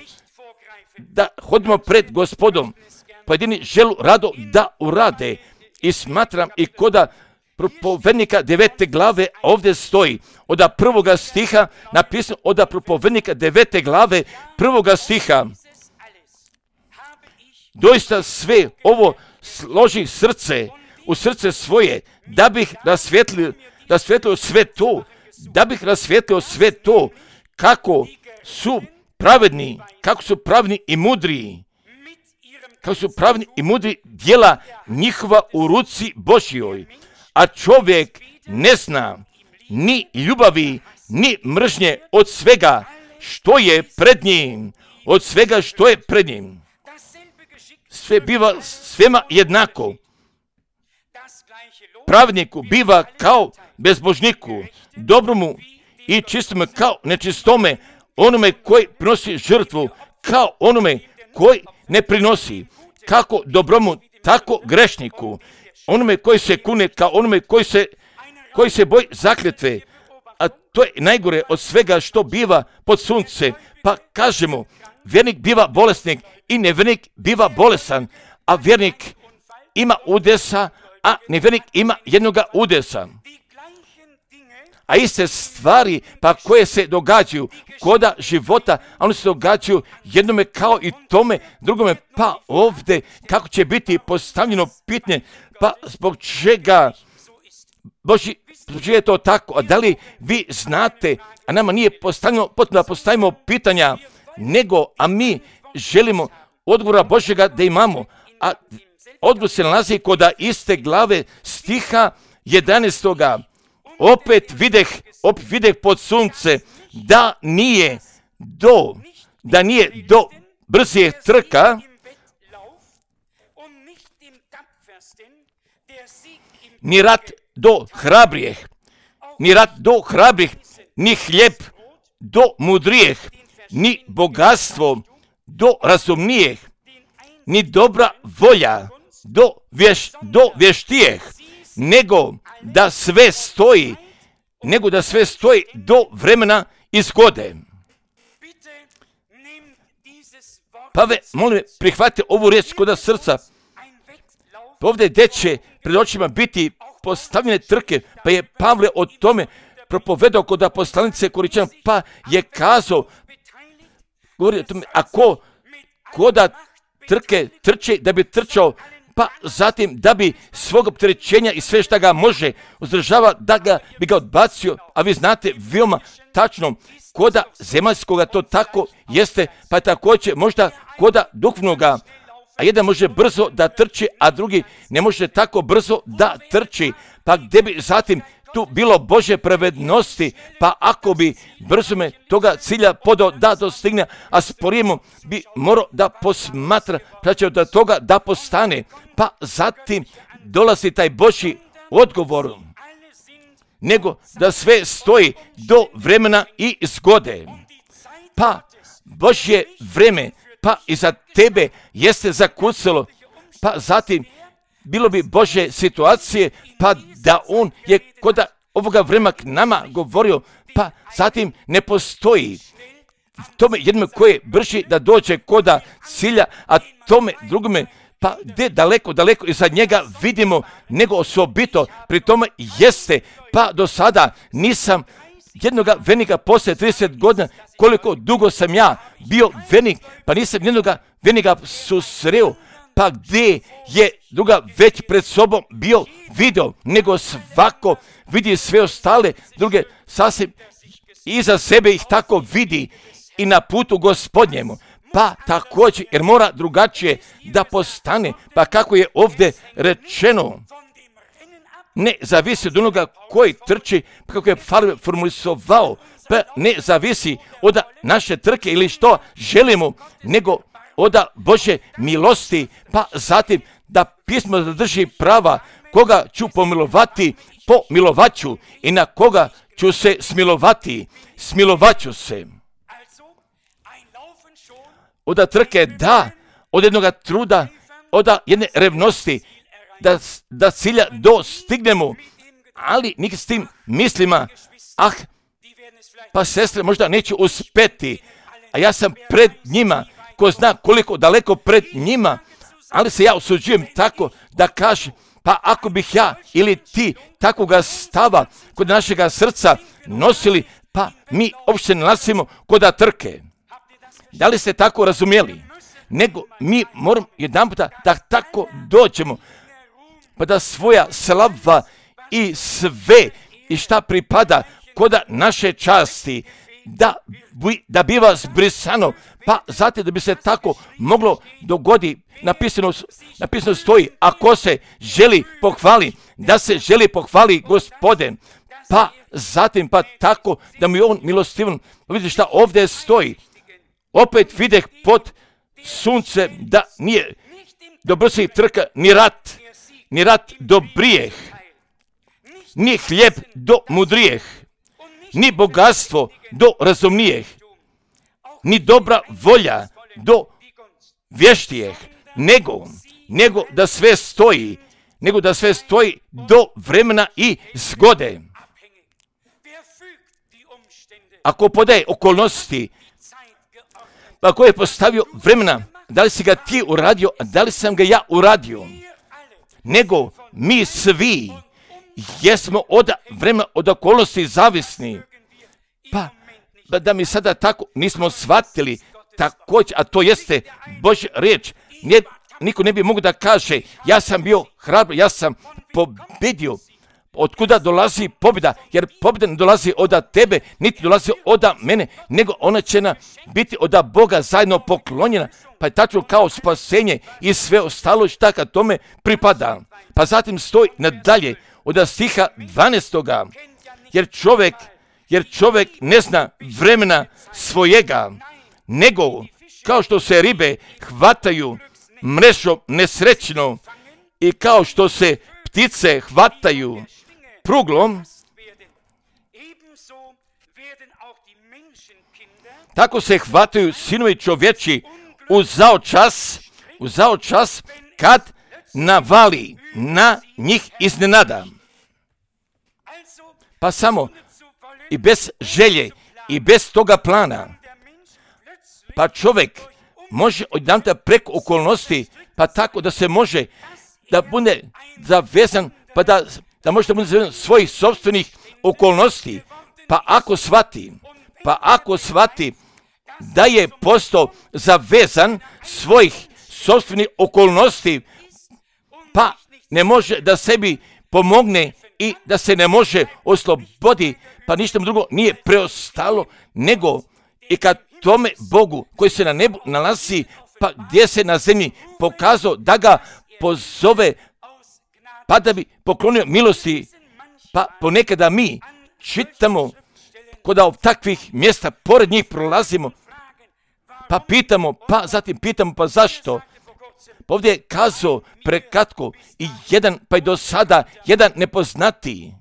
da hodimo pred Gospodom, pojedini želu rado da urade i smatram i koda propovednika devete glave ovdje stoji, od prvoga stiha napisano, od propovednika devete glave prvoga stiha, doista sve ovo složi srce u srce svoje, da bih rasvjetlio rasvjetlio sve to, da bih rasvjetlio sve to, kako su pravedni, kako su pravedni i mudri, kako su pravedni i mudri djela njihova u ruci Božjoj, a čovjek ne zna ni ljubavi, ni mržnje od svega što je pred njim, od svega što je pred njim. Sve biva svema jednako. Pravedniku biva kao bezbožniku, dobromu i čistome kao nečistome, onome koji prinosi žrtvu, kao onome koji ne prinosi, kako dobromu, tako grešniku, onome koji se kune, kao onome koji se, koji se boji zakletve, a to je najgore od svega što biva pod sunce, pa kažemo, vjernik biva bolesnik i nevjernik biva bolesan, a vjernik ima udesa, a nevjernik ima jednoga udesa. A iste stvari pa koje se događaju koda života, a one se događaju jednome kao i tome, drugome pa ovdje kako će biti postavljeno pitanje, pa zbog čega Boži, zbog čega je to tako, a da li vi znate, a nama nije postavljeno, potrebno da postavimo pitanja, nego, a mi želimo odgovora Božjega da imamo, a odgovor se nalazi kod iste glave stiha jedanaestoga opet videh, opet videh pod sunce, da nije do, da nije do brzih trka, ni rat do hrabrih, ni rat do hrabrih, ni hljeb do mudrijeh, ni bogatstvo do razumnijeh, ni dobra volja do, vješ, do vještijeh, nego da sve stoji, nego da sve stoji do vremena i zgode. Pa ve, molim, prihvatite ovu riječ kod srca. Ovdje gdje će pred očima biti postavljene trke, pa je Pavle o tome propovedao kod poslanice Koričana, pa je kazao, govori o tome, ako koda trke trče da bi trčao, pa zatim da bi svog opterećenja i sve šta ga može uzdržava, da ga bi ga odbacio, a vi znate veoma tačno koda zemaljskoga to tako jeste, pa također možda koda duhovnoga, a jedan može brzo da trči, a drugi ne može tako brzo da trči, pa gdje bi zatim tu bilo Božje pravednosti, pa ako bi brzo me toga cilja podao da dostigne, a sporijemo bi morao da posmatra, praćao da toga da postane, pa zatim dolazi taj Božji odgovor, nego da sve stoji do vremena i zgode. Pa Božje vreme, pa i za tebe jeste zakucalo, pa zatim bilo bi Božje situacije, pa da on je kod ovoga vremena k nama govorio, pa zatim ne postoji tome jednome koje brži da dođe koda cilja, a tome drugome pa gdje daleko, daleko iza njega vidimo nego osobito, pri tome jeste, pa do sada nisam jednoga vernika poslije trideset godina, koliko dugo sam ja bio vernik, pa nisam jednoga vernika susreo, pa gdje je druga već pred sobom bio video, nego svako vidi sve ostale, druge sasvim iza sebe ih tako vidi i na putu Gospodnjemu. Pa također, jer mora drugačije da postane, pa kako je ovdje rečeno, ne zavisi od onoga koji trči, pa kako je formulisovao, pa ne zavisi od naše trke ili što želimo, nego od Božje milosti, pa zatim da pismo zadrži prava, koga ću pomilovati, pomilovaću i na koga ću se smilovati, smilovaću se. Od trke da, od jednoga truda, od jedne revnosti, da, da cilja dostignemo, ali nik s tim mislima, ah, pa sestre možda neće uspeti, a ja sam pred njima, ko zna koliko daleko pred njima, ali se ja usuđujem tako da kažem, pa ako bih ja ili ti takvoga stava kod našega srca nosili, pa mi uopšte ne nalazimo kod trke. Da li ste tako razumjeli? Nego mi moramo jedan puta da tako dođemo, pa da svoja slava i sve i šta pripada kod naše časti, da, da biva zbrisano, pa zatim da bi se tako moglo dogodi, napisano, napisano stoji, ako se želi pohvali, da se želi pohvali Gospodin, pa zatim pa tako da mi on milostivan, vidite šta ovdje stoji, opet videh pod sunce da nije do brzih trka ni rat, ni rat do brijeh, ni hljeb do mudrijeh, ni bogatstvo do razumnijeh, ni dobra volja do vještijeh, nego, nego da sve stoji, nego da sve stoji do vremena i zgode. Ako podaje okolnosti, pa ko je postavio vremena, da li si ga ti uradio, a da li sam ga ja uradio, nego mi svi jesmo od vremena, od okolnosti zavisni. Pa, da mi sada tako nismo shvatili također, a to jeste Božja riječ, nije, niko ne bi mogu da kaže, ja sam bio hrabar, ja sam pobjedio. Otkuda dolazi pobjeda? Jer pobjeda ne dolazi od tebe, niti dolazi od mene, nego ona će nam biti od Boga zajedno poklonjena, pa je tačno kao spasenje i sve ostalo šta kad tome pripada. Pa zatim stoji nadalje od stiha dvanaestoga. jer čovjek, jer čovjek ne zna vremena svojega, nego kao što se ribe hvataju mrežom nesrećno i kao što se ptice hvataju pruglom, tako se hvataju sinovi čovječi u zao čas, u zao čas kad navali na njih iznenada. Pa samo i bez želje i bez toga plana, pa čovjek može odjedanputa preko okolnosti, pa tako da se može da bude zavezan, pa da, da može da bude zavezan svojih sobstvenih okolnosti, pa ako shvati, pa ako shvati da je postao zavezan svojih sobstvenih okolnosti, pa ne može da sebi pomogne i da se ne može oslobodi, pa ništa mu drugo nije preostalo, nego i kad tome Bogu koji se na nebu nalazi, pa gdje se na zemlji pokazao da ga pozove, pa da bi poklonio milosti, pa ponekada mi čitamo kod takvih mjesta, pored njih prolazimo, pa pitamo, pa zatim pitamo, pa zašto? Pa ovdje je kazao prekratko i jedan, pa i do sada, jedan nepoznatiji.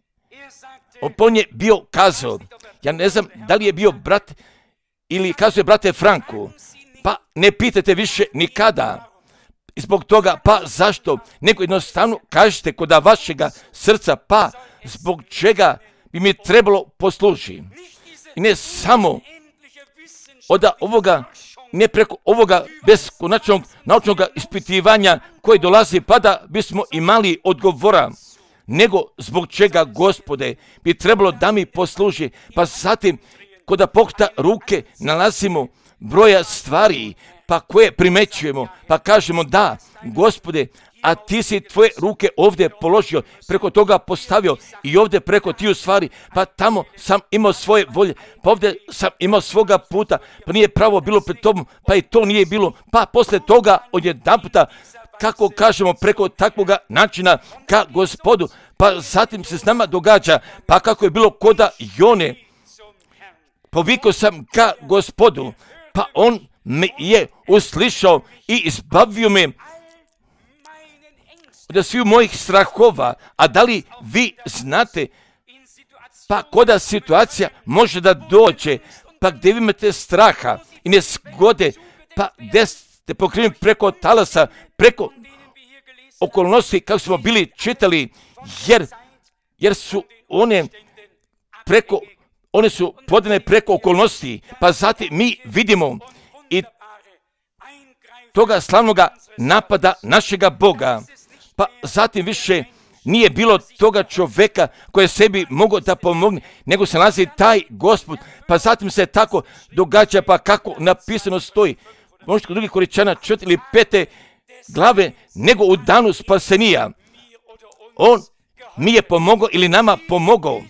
On je bio kazao, ja ne znam da li je bio brat ili kazuje brate Franku, pa ne pitajte više nikada. I zbog toga, pa zašto? Nego jednostavno kažete kod vašega srca, pa zbog čega bi mi trebalo poslužiti. I ne samo od ovoga, ne preko ovoga beskonačnog naučnog ispitivanja koje dolazi, pa da bismo imali odgovora, nego zbog čega, Gospode, bi trebalo da mi posluži. Pa zatim, kod pokreta ruke nalazimo broja stvari, pa koje primećujemo, pa kažemo da, Gospode, a ti si tvoje ruke ovdje položio, preko toga postavio i ovdje preko tiju stvari, pa tamo sam imao svoje volje, pa ovdje sam imao svoga puta, pa nije pravo bilo pred tobom, pa i to nije bilo, pa posle toga odjedanputa, kako kažemo, preko takvoga načina ka Gospodu, pa zatim se s nama događa, pa kako je bilo koda Jone, povikao sam ka Gospodu, pa on me je uslišao i izbavio me od svih mojih strahova. A da li vi znate, pa koda situacija može da dođe, pa gdje vi imate straha i nezgode, pa gdje ste pokriveni preko talasa, preko okolnosti kako smo bili čitali, jer, jer su one preko, one su podane preko okolnosti, pa zatim mi vidimo i toga slavnoga napada našega Boga, pa zatim više nije bilo toga čovjeka koji je sebi mogao da pomogne, nego se nalazi taj Gospod, pa zatim se tako događa, pa kako napisano stoji, možda kod drugih Koričana četiri ili pete glave, nego u danu spasenija. On mi je pomogao ili nama pomogao.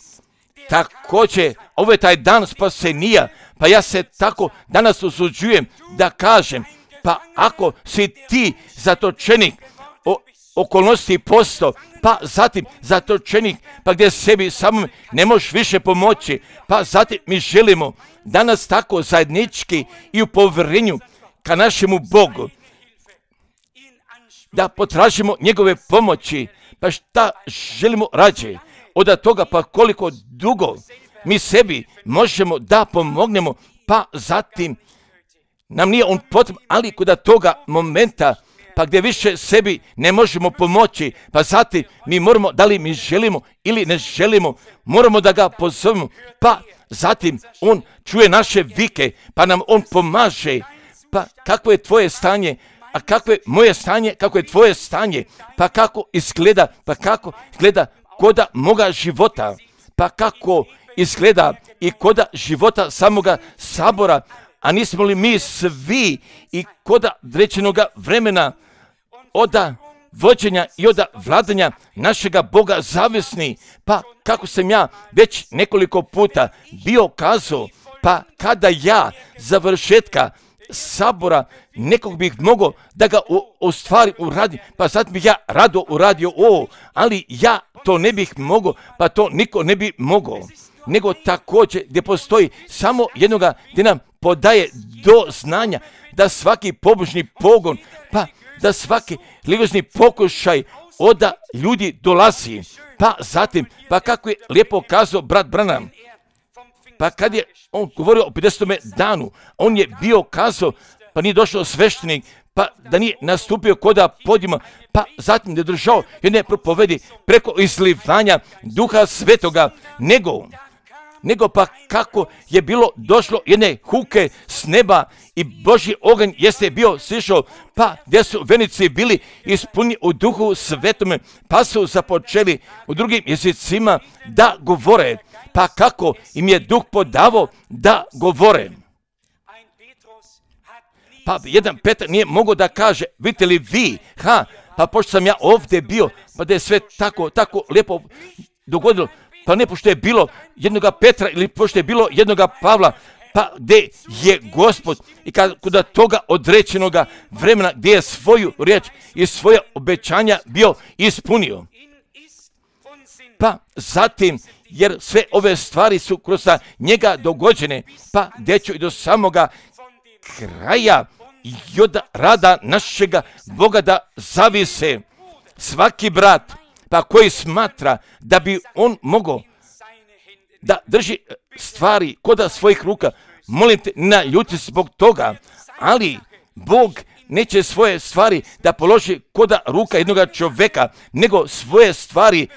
Također, ovo je taj dan spasenija, pa ja se tako danas usuđujem da kažem, pa ako si ti zatočenik o okolnosti posto, pa zatim zatočenik, pa gdje sebi samom ne možeš više pomoći, pa zatim mi želimo danas tako zajednički i u povjerenju ka našemu Bogu, da potražimo njegove pomoći, pa šta želimo rađe od toga, pa koliko dugo mi sebi možemo da pomognemo, pa zatim nam nije on potreban, ali kod toga momenta, pa gdje više sebi ne možemo pomoći, pa zatim mi moramo, da li mi želimo ili ne želimo, moramo da ga pozovemo, pa zatim on čuje naše vike, pa nam on pomaže. Pa kako je tvoje stanje, a kako je moje stanje, kako je tvoje stanje, pa kako izgleda, pa kako izgleda koda moga života, pa kako izgleda i koda života samoga sabora, a nismo li mi svi i koda određenoga vremena oda vođenja i oda vladanja našega Boga zavisni, pa kako sam ja već nekoliko puta bio kazao, pa kada ja završetka sabora nekog bih mogao da ga u, u stvari uradi, pa sad bih ja rado uradio ovo, ali ja to ne bih mogao, pa to niko ne bi mogao. nego također gdje postoji samo jednoga gdje nam podaje do znanja da svaki pobožni pogon, pa da svaki religiozni pokušaj oda ljudi dolazi. Pa zatim, pa kako je lijepo kazao brat Branham, pa kad je on govorio o pedesetom danu, on je bio kazao, pa nije došao sveštenik, pa da nije nastupio koda podijuma, pa zatim da je držao jedne propovedi preko izlivanja Duha Svetoga, nego, nego pa kako je bilo došlo jedne huke s neba i Božji oganj jeste bio sišao, pa gdje su venici bili ispunjeni u Duhu Svetome, pa su započeli u drugim jezicima da govore, pa kako im je Duh podavao da govore. Pa jedan Petar nije mogao da kaže, vidite li vi, ha, pa pošto sam ja ovdje bio, pa da je sve tako, tako lijepo dogodilo, pa ne pošto je bilo jednoga Petra ili pošto je bilo jednoga Pavla, pa gdje je Gospod i kada toga određenoga vremena gdje je svoju riječ i svoja obećanja bio ispunio. Pa zatim, jer sve ove stvari su kroz njega dogođene, pa gdje ću i do samoga kraja i od rada našega Boga da zavise svaki brat, pa koji smatra da bi on mogao da drži stvari koda svojih ruka, molim te, naljuti zbog toga, ali Bog neće svoje stvari da položi koda ruka jednoga čovjeka, nego svoje stvari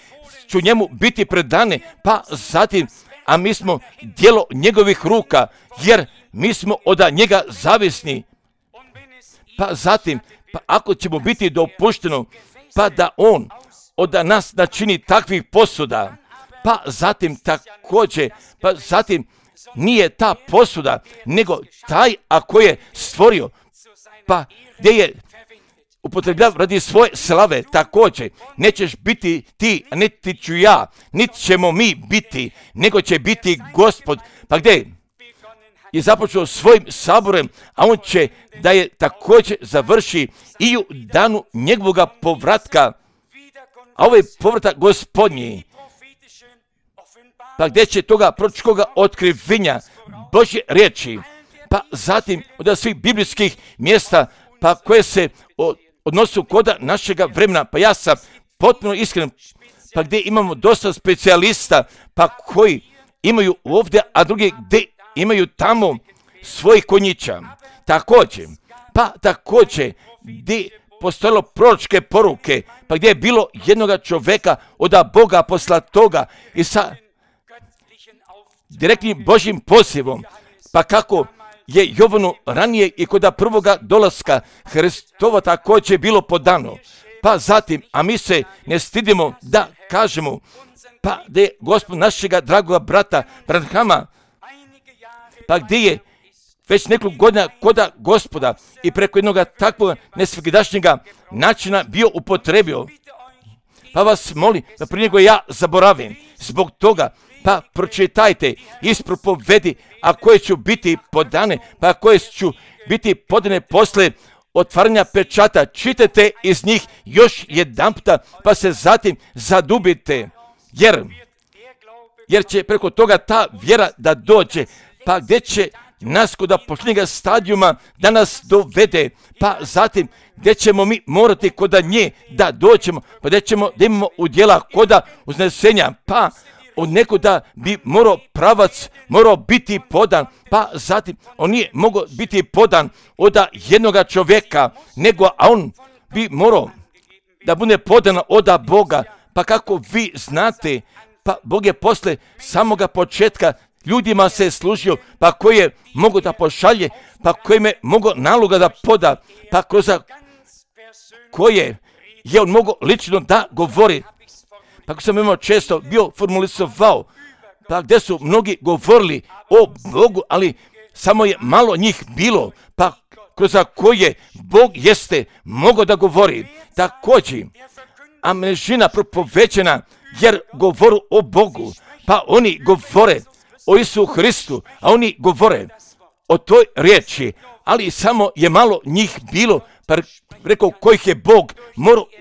ću njemu biti predane, pa zatim, a mi smo djelo njegovih ruka, jer mi smo od njega zavisni. Pa zatim, pa ako ćemo biti dopušteno, pa da on od nas načini takvih posuda, pa zatim također, pa zatim nije ta posuda, nego taj ako je stvorio, pa gdje je upotrebljav radi svoje slave, također nećeš biti ti, a niti ću ja, niti ćemo mi biti, nego će biti Gospod. Pa gdje je započeo svojim saborem, a on će da je također završi i u danu njegovoga povratka, a ovaj povratak Gospodnji, pa gdje će toga proročkoga otkrivenja Božje riječi, pa zatim od svih biblijskih mjesta, pa koje se odnosu koda našega vremena, pa ja sam potpuno iskren, pa gdje imamo dosta specijalista, pa koji imaju ovdje, a drugi gdje imaju tamo svojih konjića. Također, pa također gdje postojalo proročke poruke, pa gdje je bilo jednoga čovjeka od Boga poslatoga i sa direktnim Božjim pozivom, pa kako je Jovanu ranije i kod prvoga dolaska Hristova također bilo podano. Pa zatim, a mi se ne stidimo da kažemo, pa da je Gospod našega dragoga brata Branhama, pa gdje je već nekoliko godina koda Gospoda i preko jednog takvog nesvakidašnjega načina bio upotrebio. Pa vas molim da prije nego ja zaboravim, zbog toga, pa pročitajte iz propovedi, a koje ću biti podane, pa koje ću biti podane posle otvaranja pečata. Čitajte iz njih još jedanputa, pa se zatim zadubite, jer, jer će preko toga ta vjera da dođe, pa gdje će nas kod posljednjega stadijuma da nas dovede, pa zatim gdje ćemo mi morati kod nje da dođemo, pa gdje ćemo da imamo udjela koda uznesenja, pa od nekoda bi morao pravac, morao biti podan, pa zatim on nije mogao biti podan od jednoga čovjeka, nego a on bi morao da bude podan od Boga, pa kako vi znate, pa Bog je posle samoga početka ljudima se služio, pa koji je mogao da pošalje, pa koji je mogao naloga da poda, pa kroz koje je on mogao lično da govori. Pa ako sam imao često bio formulisovao, pa gdje su mnogi govorili o Bogu, ali samo je malo njih bilo, pa kroz koje Bog jeste mogao da govori. Također, a množina propovećena jer govoru o Bogu, pa oni govore o Isu Hristu, a oni govore o toj riječi, ali samo je malo njih bilo, pa rekao kojih je Bog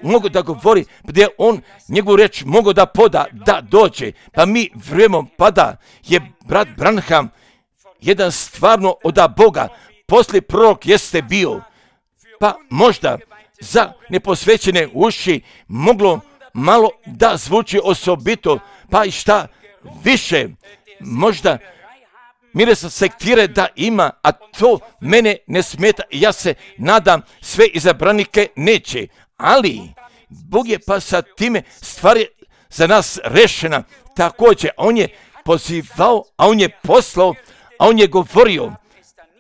mogu da govori, gdje on njegovu reč mogu da poda, da dođe. Pa mi vrijemom pada je brat Branham jedan stvarno od Boga, poslije prorok jeste bio, pa možda za neposvećene uši moglo malo da zvuči osobito, pa i šta više, možda miresa sektire da ima, a to mene ne smeta i ja se nadam sve izabranike neće, ali Bog je pa sa time stvari za nas rešena. Također, on je pozivao, a on je poslao, a on je govorio,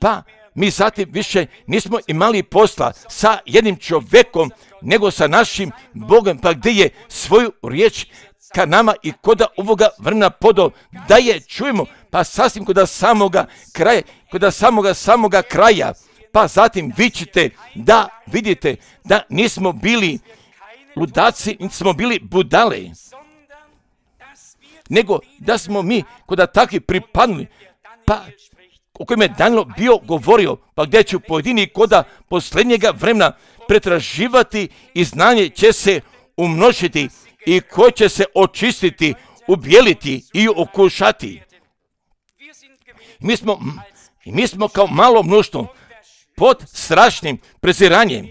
pa mi zatim više nismo imali posla sa jednim čovjekom, nego sa našim Bogom, pa gdje je svoju riječ ka nama i koda ovoga vremena podao, da je čujemo, pa sasvim koda samoga kraja, koda samoga samoga kraja, pa zatim vi ćete da vidite da nismo bili ludaci, nismo bili budale, nego da smo mi koda takvi pripadnuli, pa o kojem je Danilo bio govorio, pa gdje ću pojedini koda posljednjega vremena pretraživati i znanje će se umnožiti i ko će se očistiti, ubijeliti i okušati. Mi smo, mi smo kao malo mnoštvo pod strašnim preziranjem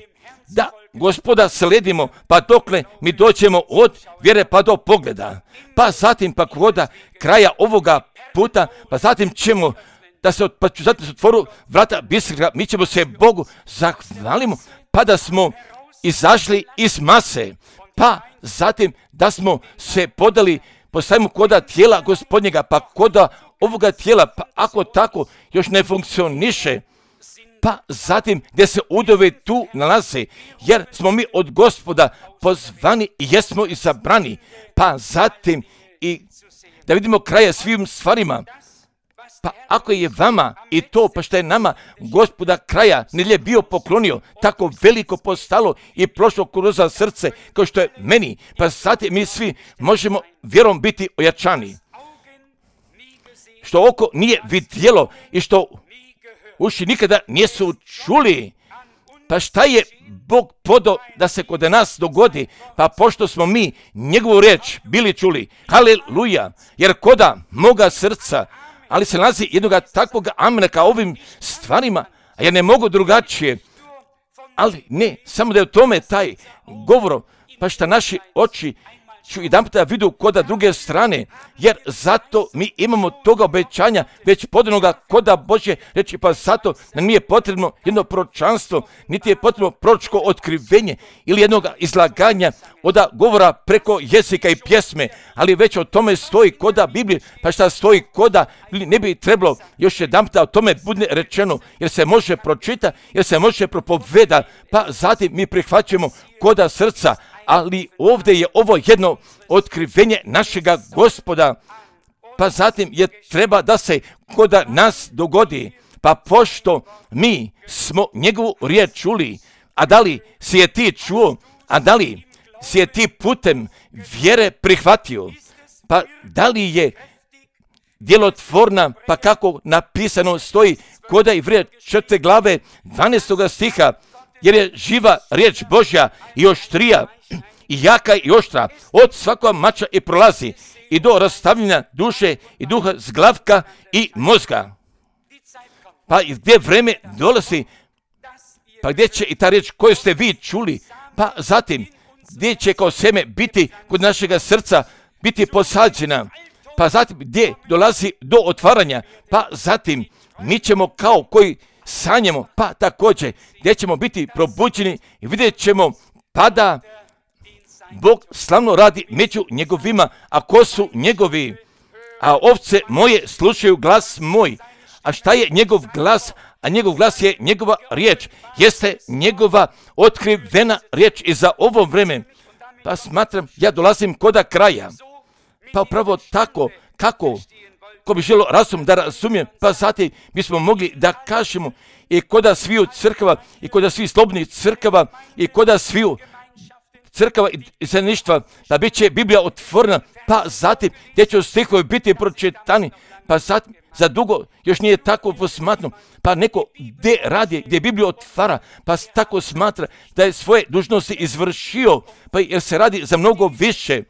da Gospoda sledimo, pa dokle mi doćemo od vjere pa do pogleda, pa zatim pa koda kraja ovoga puta, pa zatim ćemo da se, pa ću zatim se otvoru vrata bisera, mi ćemo se Bogu zahvalimo, pa da smo izašli iz mase, pa zatim da smo se podali, postavimo koda tijela Gospodnjega, pa koda ovoga tijela, pa ako tako još ne funkcioniše, pa zatim gdje se udove tu nalaze, jer smo mi od Gospoda pozvani i jesmo izabrani, pa zatim i da vidimo kraja svim stvarima. Pa ako je vama i to, pa što je nama Gospoda kraja nedjelje bio poklonio, tako veliko postalo i prošlo kroz srce kao što je meni, pa zatim mi svi možemo vjerom biti ojačani. Što oko nije vidjelo i što uši nikada nisu čuli, pa šta je Bog podao da se kod nas dogodi, pa pošto smo mi njegovu riječ bili čuli, haleluja, jer koda moga srca, ali se nalazi jednoga takvog amena ka ovim stvarima, a ja ne mogu drugačije, ali ne, samo da je u tome taj govor, pa šta naši oči ću jedan puta vidu koda druge strane, jer zato mi imamo toga obećanja već podanoga koda Božje reći, pa zato nam nije potrebno jedno proročanstvo, niti je potrebno proročko otkrivenje ili jednog izlaganja od govora preko jezika i pjesme, ali već o tome stoji koda Biblije, pa šta stoji koda ne bi trebalo još jedan puta o tome bude rečeno, jer se može pročita, jer se može propoveda, pa zatim mi prihvaćamo koda srca, ali ovdje je ovo jedno otkrivenje našega Gospoda, pa zatim je treba da se koda nas dogodi, pa pošto mi smo njegovu riječ čuli, a da li si je ti čuo, a da li si je ti putem vjere prihvatio, pa da li je djelotvorna, pa kako napisano stoji koda Ivrija četvrte glave dvanaestoga stiha, jer je živa riječ Božja i oštrija i jaka i oštra od svakog mača i prolazi i do rastavljanja duše i duha, zglavka i mozga. Pa gdje vreme dolazi, pa gdje će i ta riječ koju ste vi čuli, pa zatim gdje će kao seme biti kod našega srca, biti posađena, pa zatim gdje dolazi do otvaranja, pa zatim mi ćemo kao koji sanjamo, pa također gdje ćemo biti probuđeni i vidjet ćemo pada Bog slavno radi među njegovima, a ko su njegovi? A ovce moje slušaju glas moj. A šta je njegov glas? A njegov glas je njegova riječ. Jeste njegova otkrivena riječ i za ovo vreme. Pa smatram, ja dolazim koda kraja. Pa upravo tako, kako, ko bi želo razum da razumijem, pa zatim bismo mogli da kažemo i koda sviju crkava, i koda svih slobodnih crkava, i koda sviju crkava i zajedništva, da bit će Biblija otvorena, pa zatim gdje će stihovi biti pročitani, pa zatim za dugo još nije tako posmatno, pa neko gdje radi, gdje Bibliju otvara, pa tako smatra da je svoje dužnosti izvršio, pa jer se radi za mnogo više.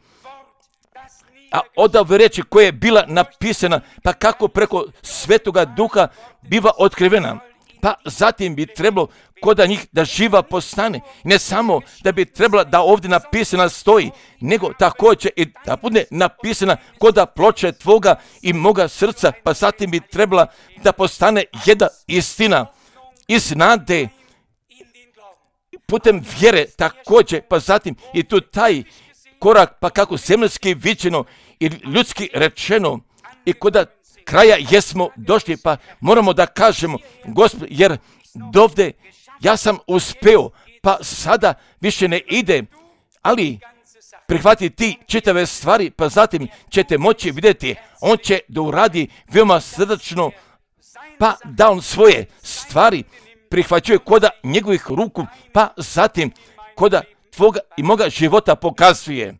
A od ove reči koja je bila napisana, pa kako preko Svetoga Duha biva otkrivena, pa zatim bi trebalo koda njih da živa postane. Ne samo da bi trebala da ovdje napisana stoji, nego također i da bude napisana koda ploče tvoga i moga srca, pa zatim bi trebala da postane jedna istina iz nade putem vjere također, pa zatim i tu taj korak, pa kako zemljski viđeno i ljudski rečeno i koda kraja jesmo došli, pa moramo da kažemo, Gospod, jer dovde ja sam uspeo, pa sada više ne ide, ali prihvati ti čitave stvari, pa zatim ćete moći vidjeti, on će da uradi veoma srdačno, pa da on svoje stvari prihvaćuje koda njegovih ruku, pa zatim koda tvoga i moga života pokazuje.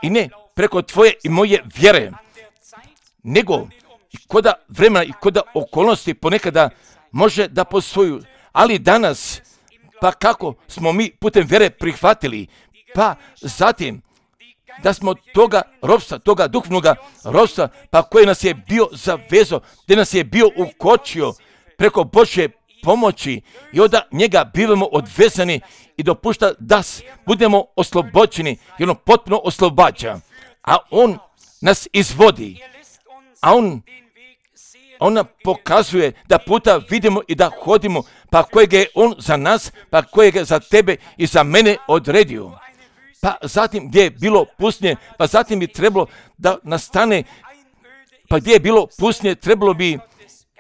I ne preko tvoje i moje vjere, nego koda vremena i koda okolnosti ponekada može da postoju, ali danas, pa kako smo mi putem vjere prihvatili, pa zatim da smo toga ropstva, toga duhovnoga ropstva, pa koji nas je bio zavezo, gdje nas je bio ukočio preko Božje pomoći i onda njega bivamo odvezani i dopušta da budemo oslobođeni i ono potpuno oslobađa, a on nas izvodi, a on ona pokazuje da puta vidimo i da hodimo, pa kojeg je on za nas, pa kojeg je za tebe i za mene odredio. Pa zatim gdje je bilo pustinje, pa zatim bi trebalo da nastane, pa gdje je bilo pustinje, trebalo bi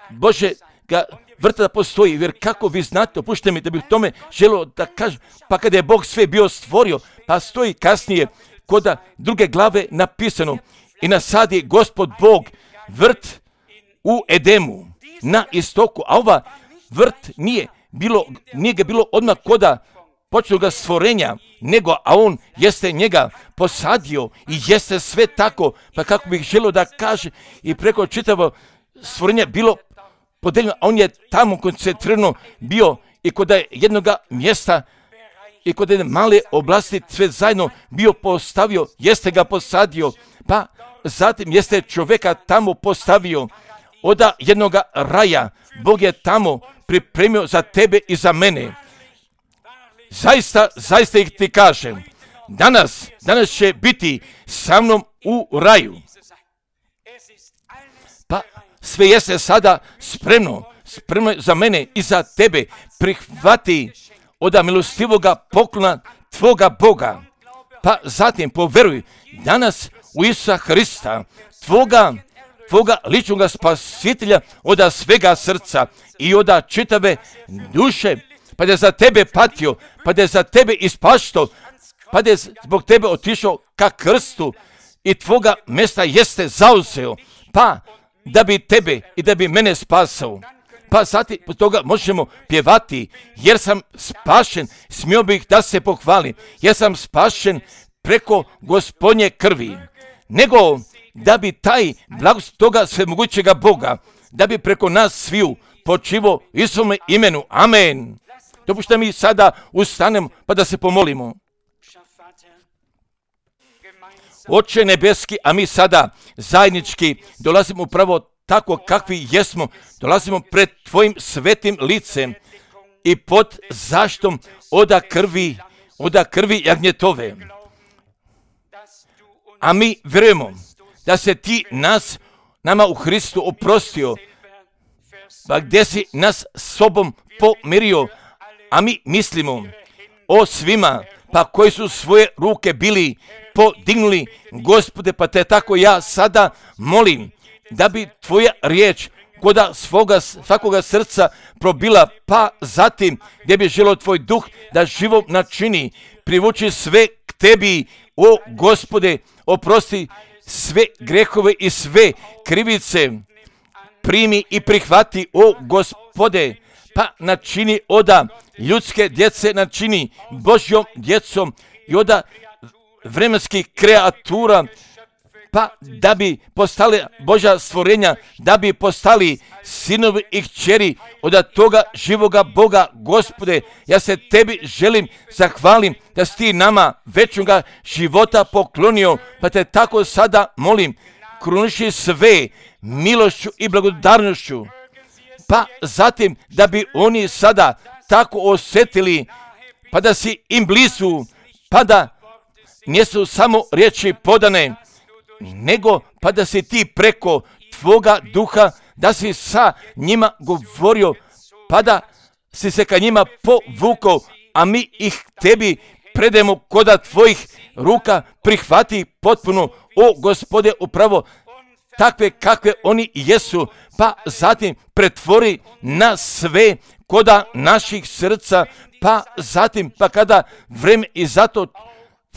Bože ga vrta da postoji, jer kako vi znate, opušte mi da bih tome želio da kažem, pa kada je Bog sve bio stvorio, pa stoji kasnije koda druge glave napisano i nasadi Gospod Bog vrt u Edemu na istoku, a ova vrt nije bilo, nije ga bilo odmah koda početnoga stvorenja, nego a on jeste njega posadio i jeste sve tako, pa kako bih želio da kaže i preko čitavo stvorenja bilo podeljeno, a on je tamo koncentrirano bio i kod jednoga mjesta i kod jedne male oblasti sve zajedno bio postavio, jeste ga posadio, pa zatim jeste čovjeka tamo postavio, oda jednoga raja, Bog je tamo pripremio za tebe i za mene. Zaista, zaista ih ti kažem, danas, danas će biti sa mnom u raju. Pa sve jeste sada spremno, spremno za mene i za tebe, prihvati oda milostivoga poklona tvoga Boga. Pa zatim poveruj danas u Isusa Hrista, tvoga, tvoga ličnoga spasitelja oda svega srca i oda čitave duše, pa da je za tebe patio, pa da je za tebe ispašto, pa da je zbog tebe otišao ka krstu i tvoga mjesta jeste zauzeo, pa da bi tebe i da bi mene spasao. Pa zatim po toga možemo pjevati, jer sam spašen, smio bih da se pohvalim, jer sam spašen preko Gospodnje krvi, nego da bi taj blagost toga svemogućega Boga, da bi preko nas sviju počivo Isusovome imenu. Amen. Dopušta mi sada ustanemo pa da se pomolimo. Oče nebeski, a mi sada zajednički dolazimo upravo tako kakvi jesmo, dolazimo pred tvojim svetim licem i pod zaštom oda krvi, oda krvi jagnjetove. A mi vjerujemo da se ti nas, nama u Hristu oprostio, pa gdje si nas sobom pomirio, a mi mislimo o svima, pa koji su svoje ruke bili podignuli, Gospode, pa te tako ja sada molim, da bi tvoja riječ koda svoga, svakoga srca probila, pa zatim gdje bi želio tvoj duh da živo načini, privuči sve k tebi, o Gospode, oprosti sve grehove i sve krivice, primi i prihvati, o Gospode, pa načini oda ljudske djece, načini Božjom djecom i oda vremenskih kreatura, pa da bi postali Božja stvorenja, da bi postali sinovi i kćeri od toga živoga Boga. Gospode, ja se tebi želim zahvalim da si ti nama večnoga života poklonio, pa te tako sada molim, kruniši sve milošću i blagodarnošću, pa zatim da bi oni sada tako osjetili, pa da si im blizu, pa da nisu samo riječi podane, nego pa da si ti preko tvoga duha, da si sa njima govorio, pa da si se ka njima povukao, a mi ih tebi predajemo koda tvojih ruka, prihvati potpuno, o Gospode, upravo takve kakve oni jesu, pa zatim pretvori na sve koda naših srca, pa zatim, pa kada vreme i zato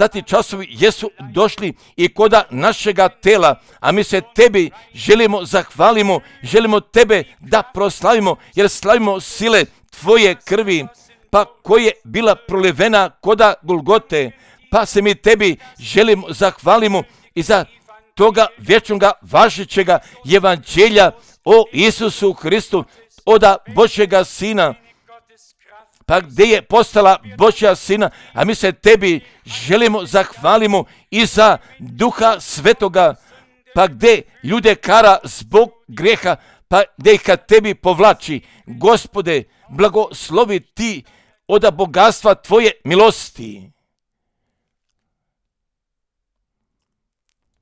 Zati časovi jesu došli i koda našega tela, a mi se tebi želimo zahvalimo, želimo tebe da proslavimo, jer slavimo sile tvoje krvi, pa koja je bila prolivena koda Golgote, pa se mi tebi želimo zahvalimo i za toga vječnoga važećega evanđelja o Isusu Hristu, oda Božjega Sina, pa gdje je postala Božja Sina, a mi se tebi želimo zahvalimo i za Duha Svetoga, pa gdje ljude kara zbog grijeha, pa gdje ih ka tebi povlači. Gospode, blagoslovi ti oda bogatstva tvoje milosti.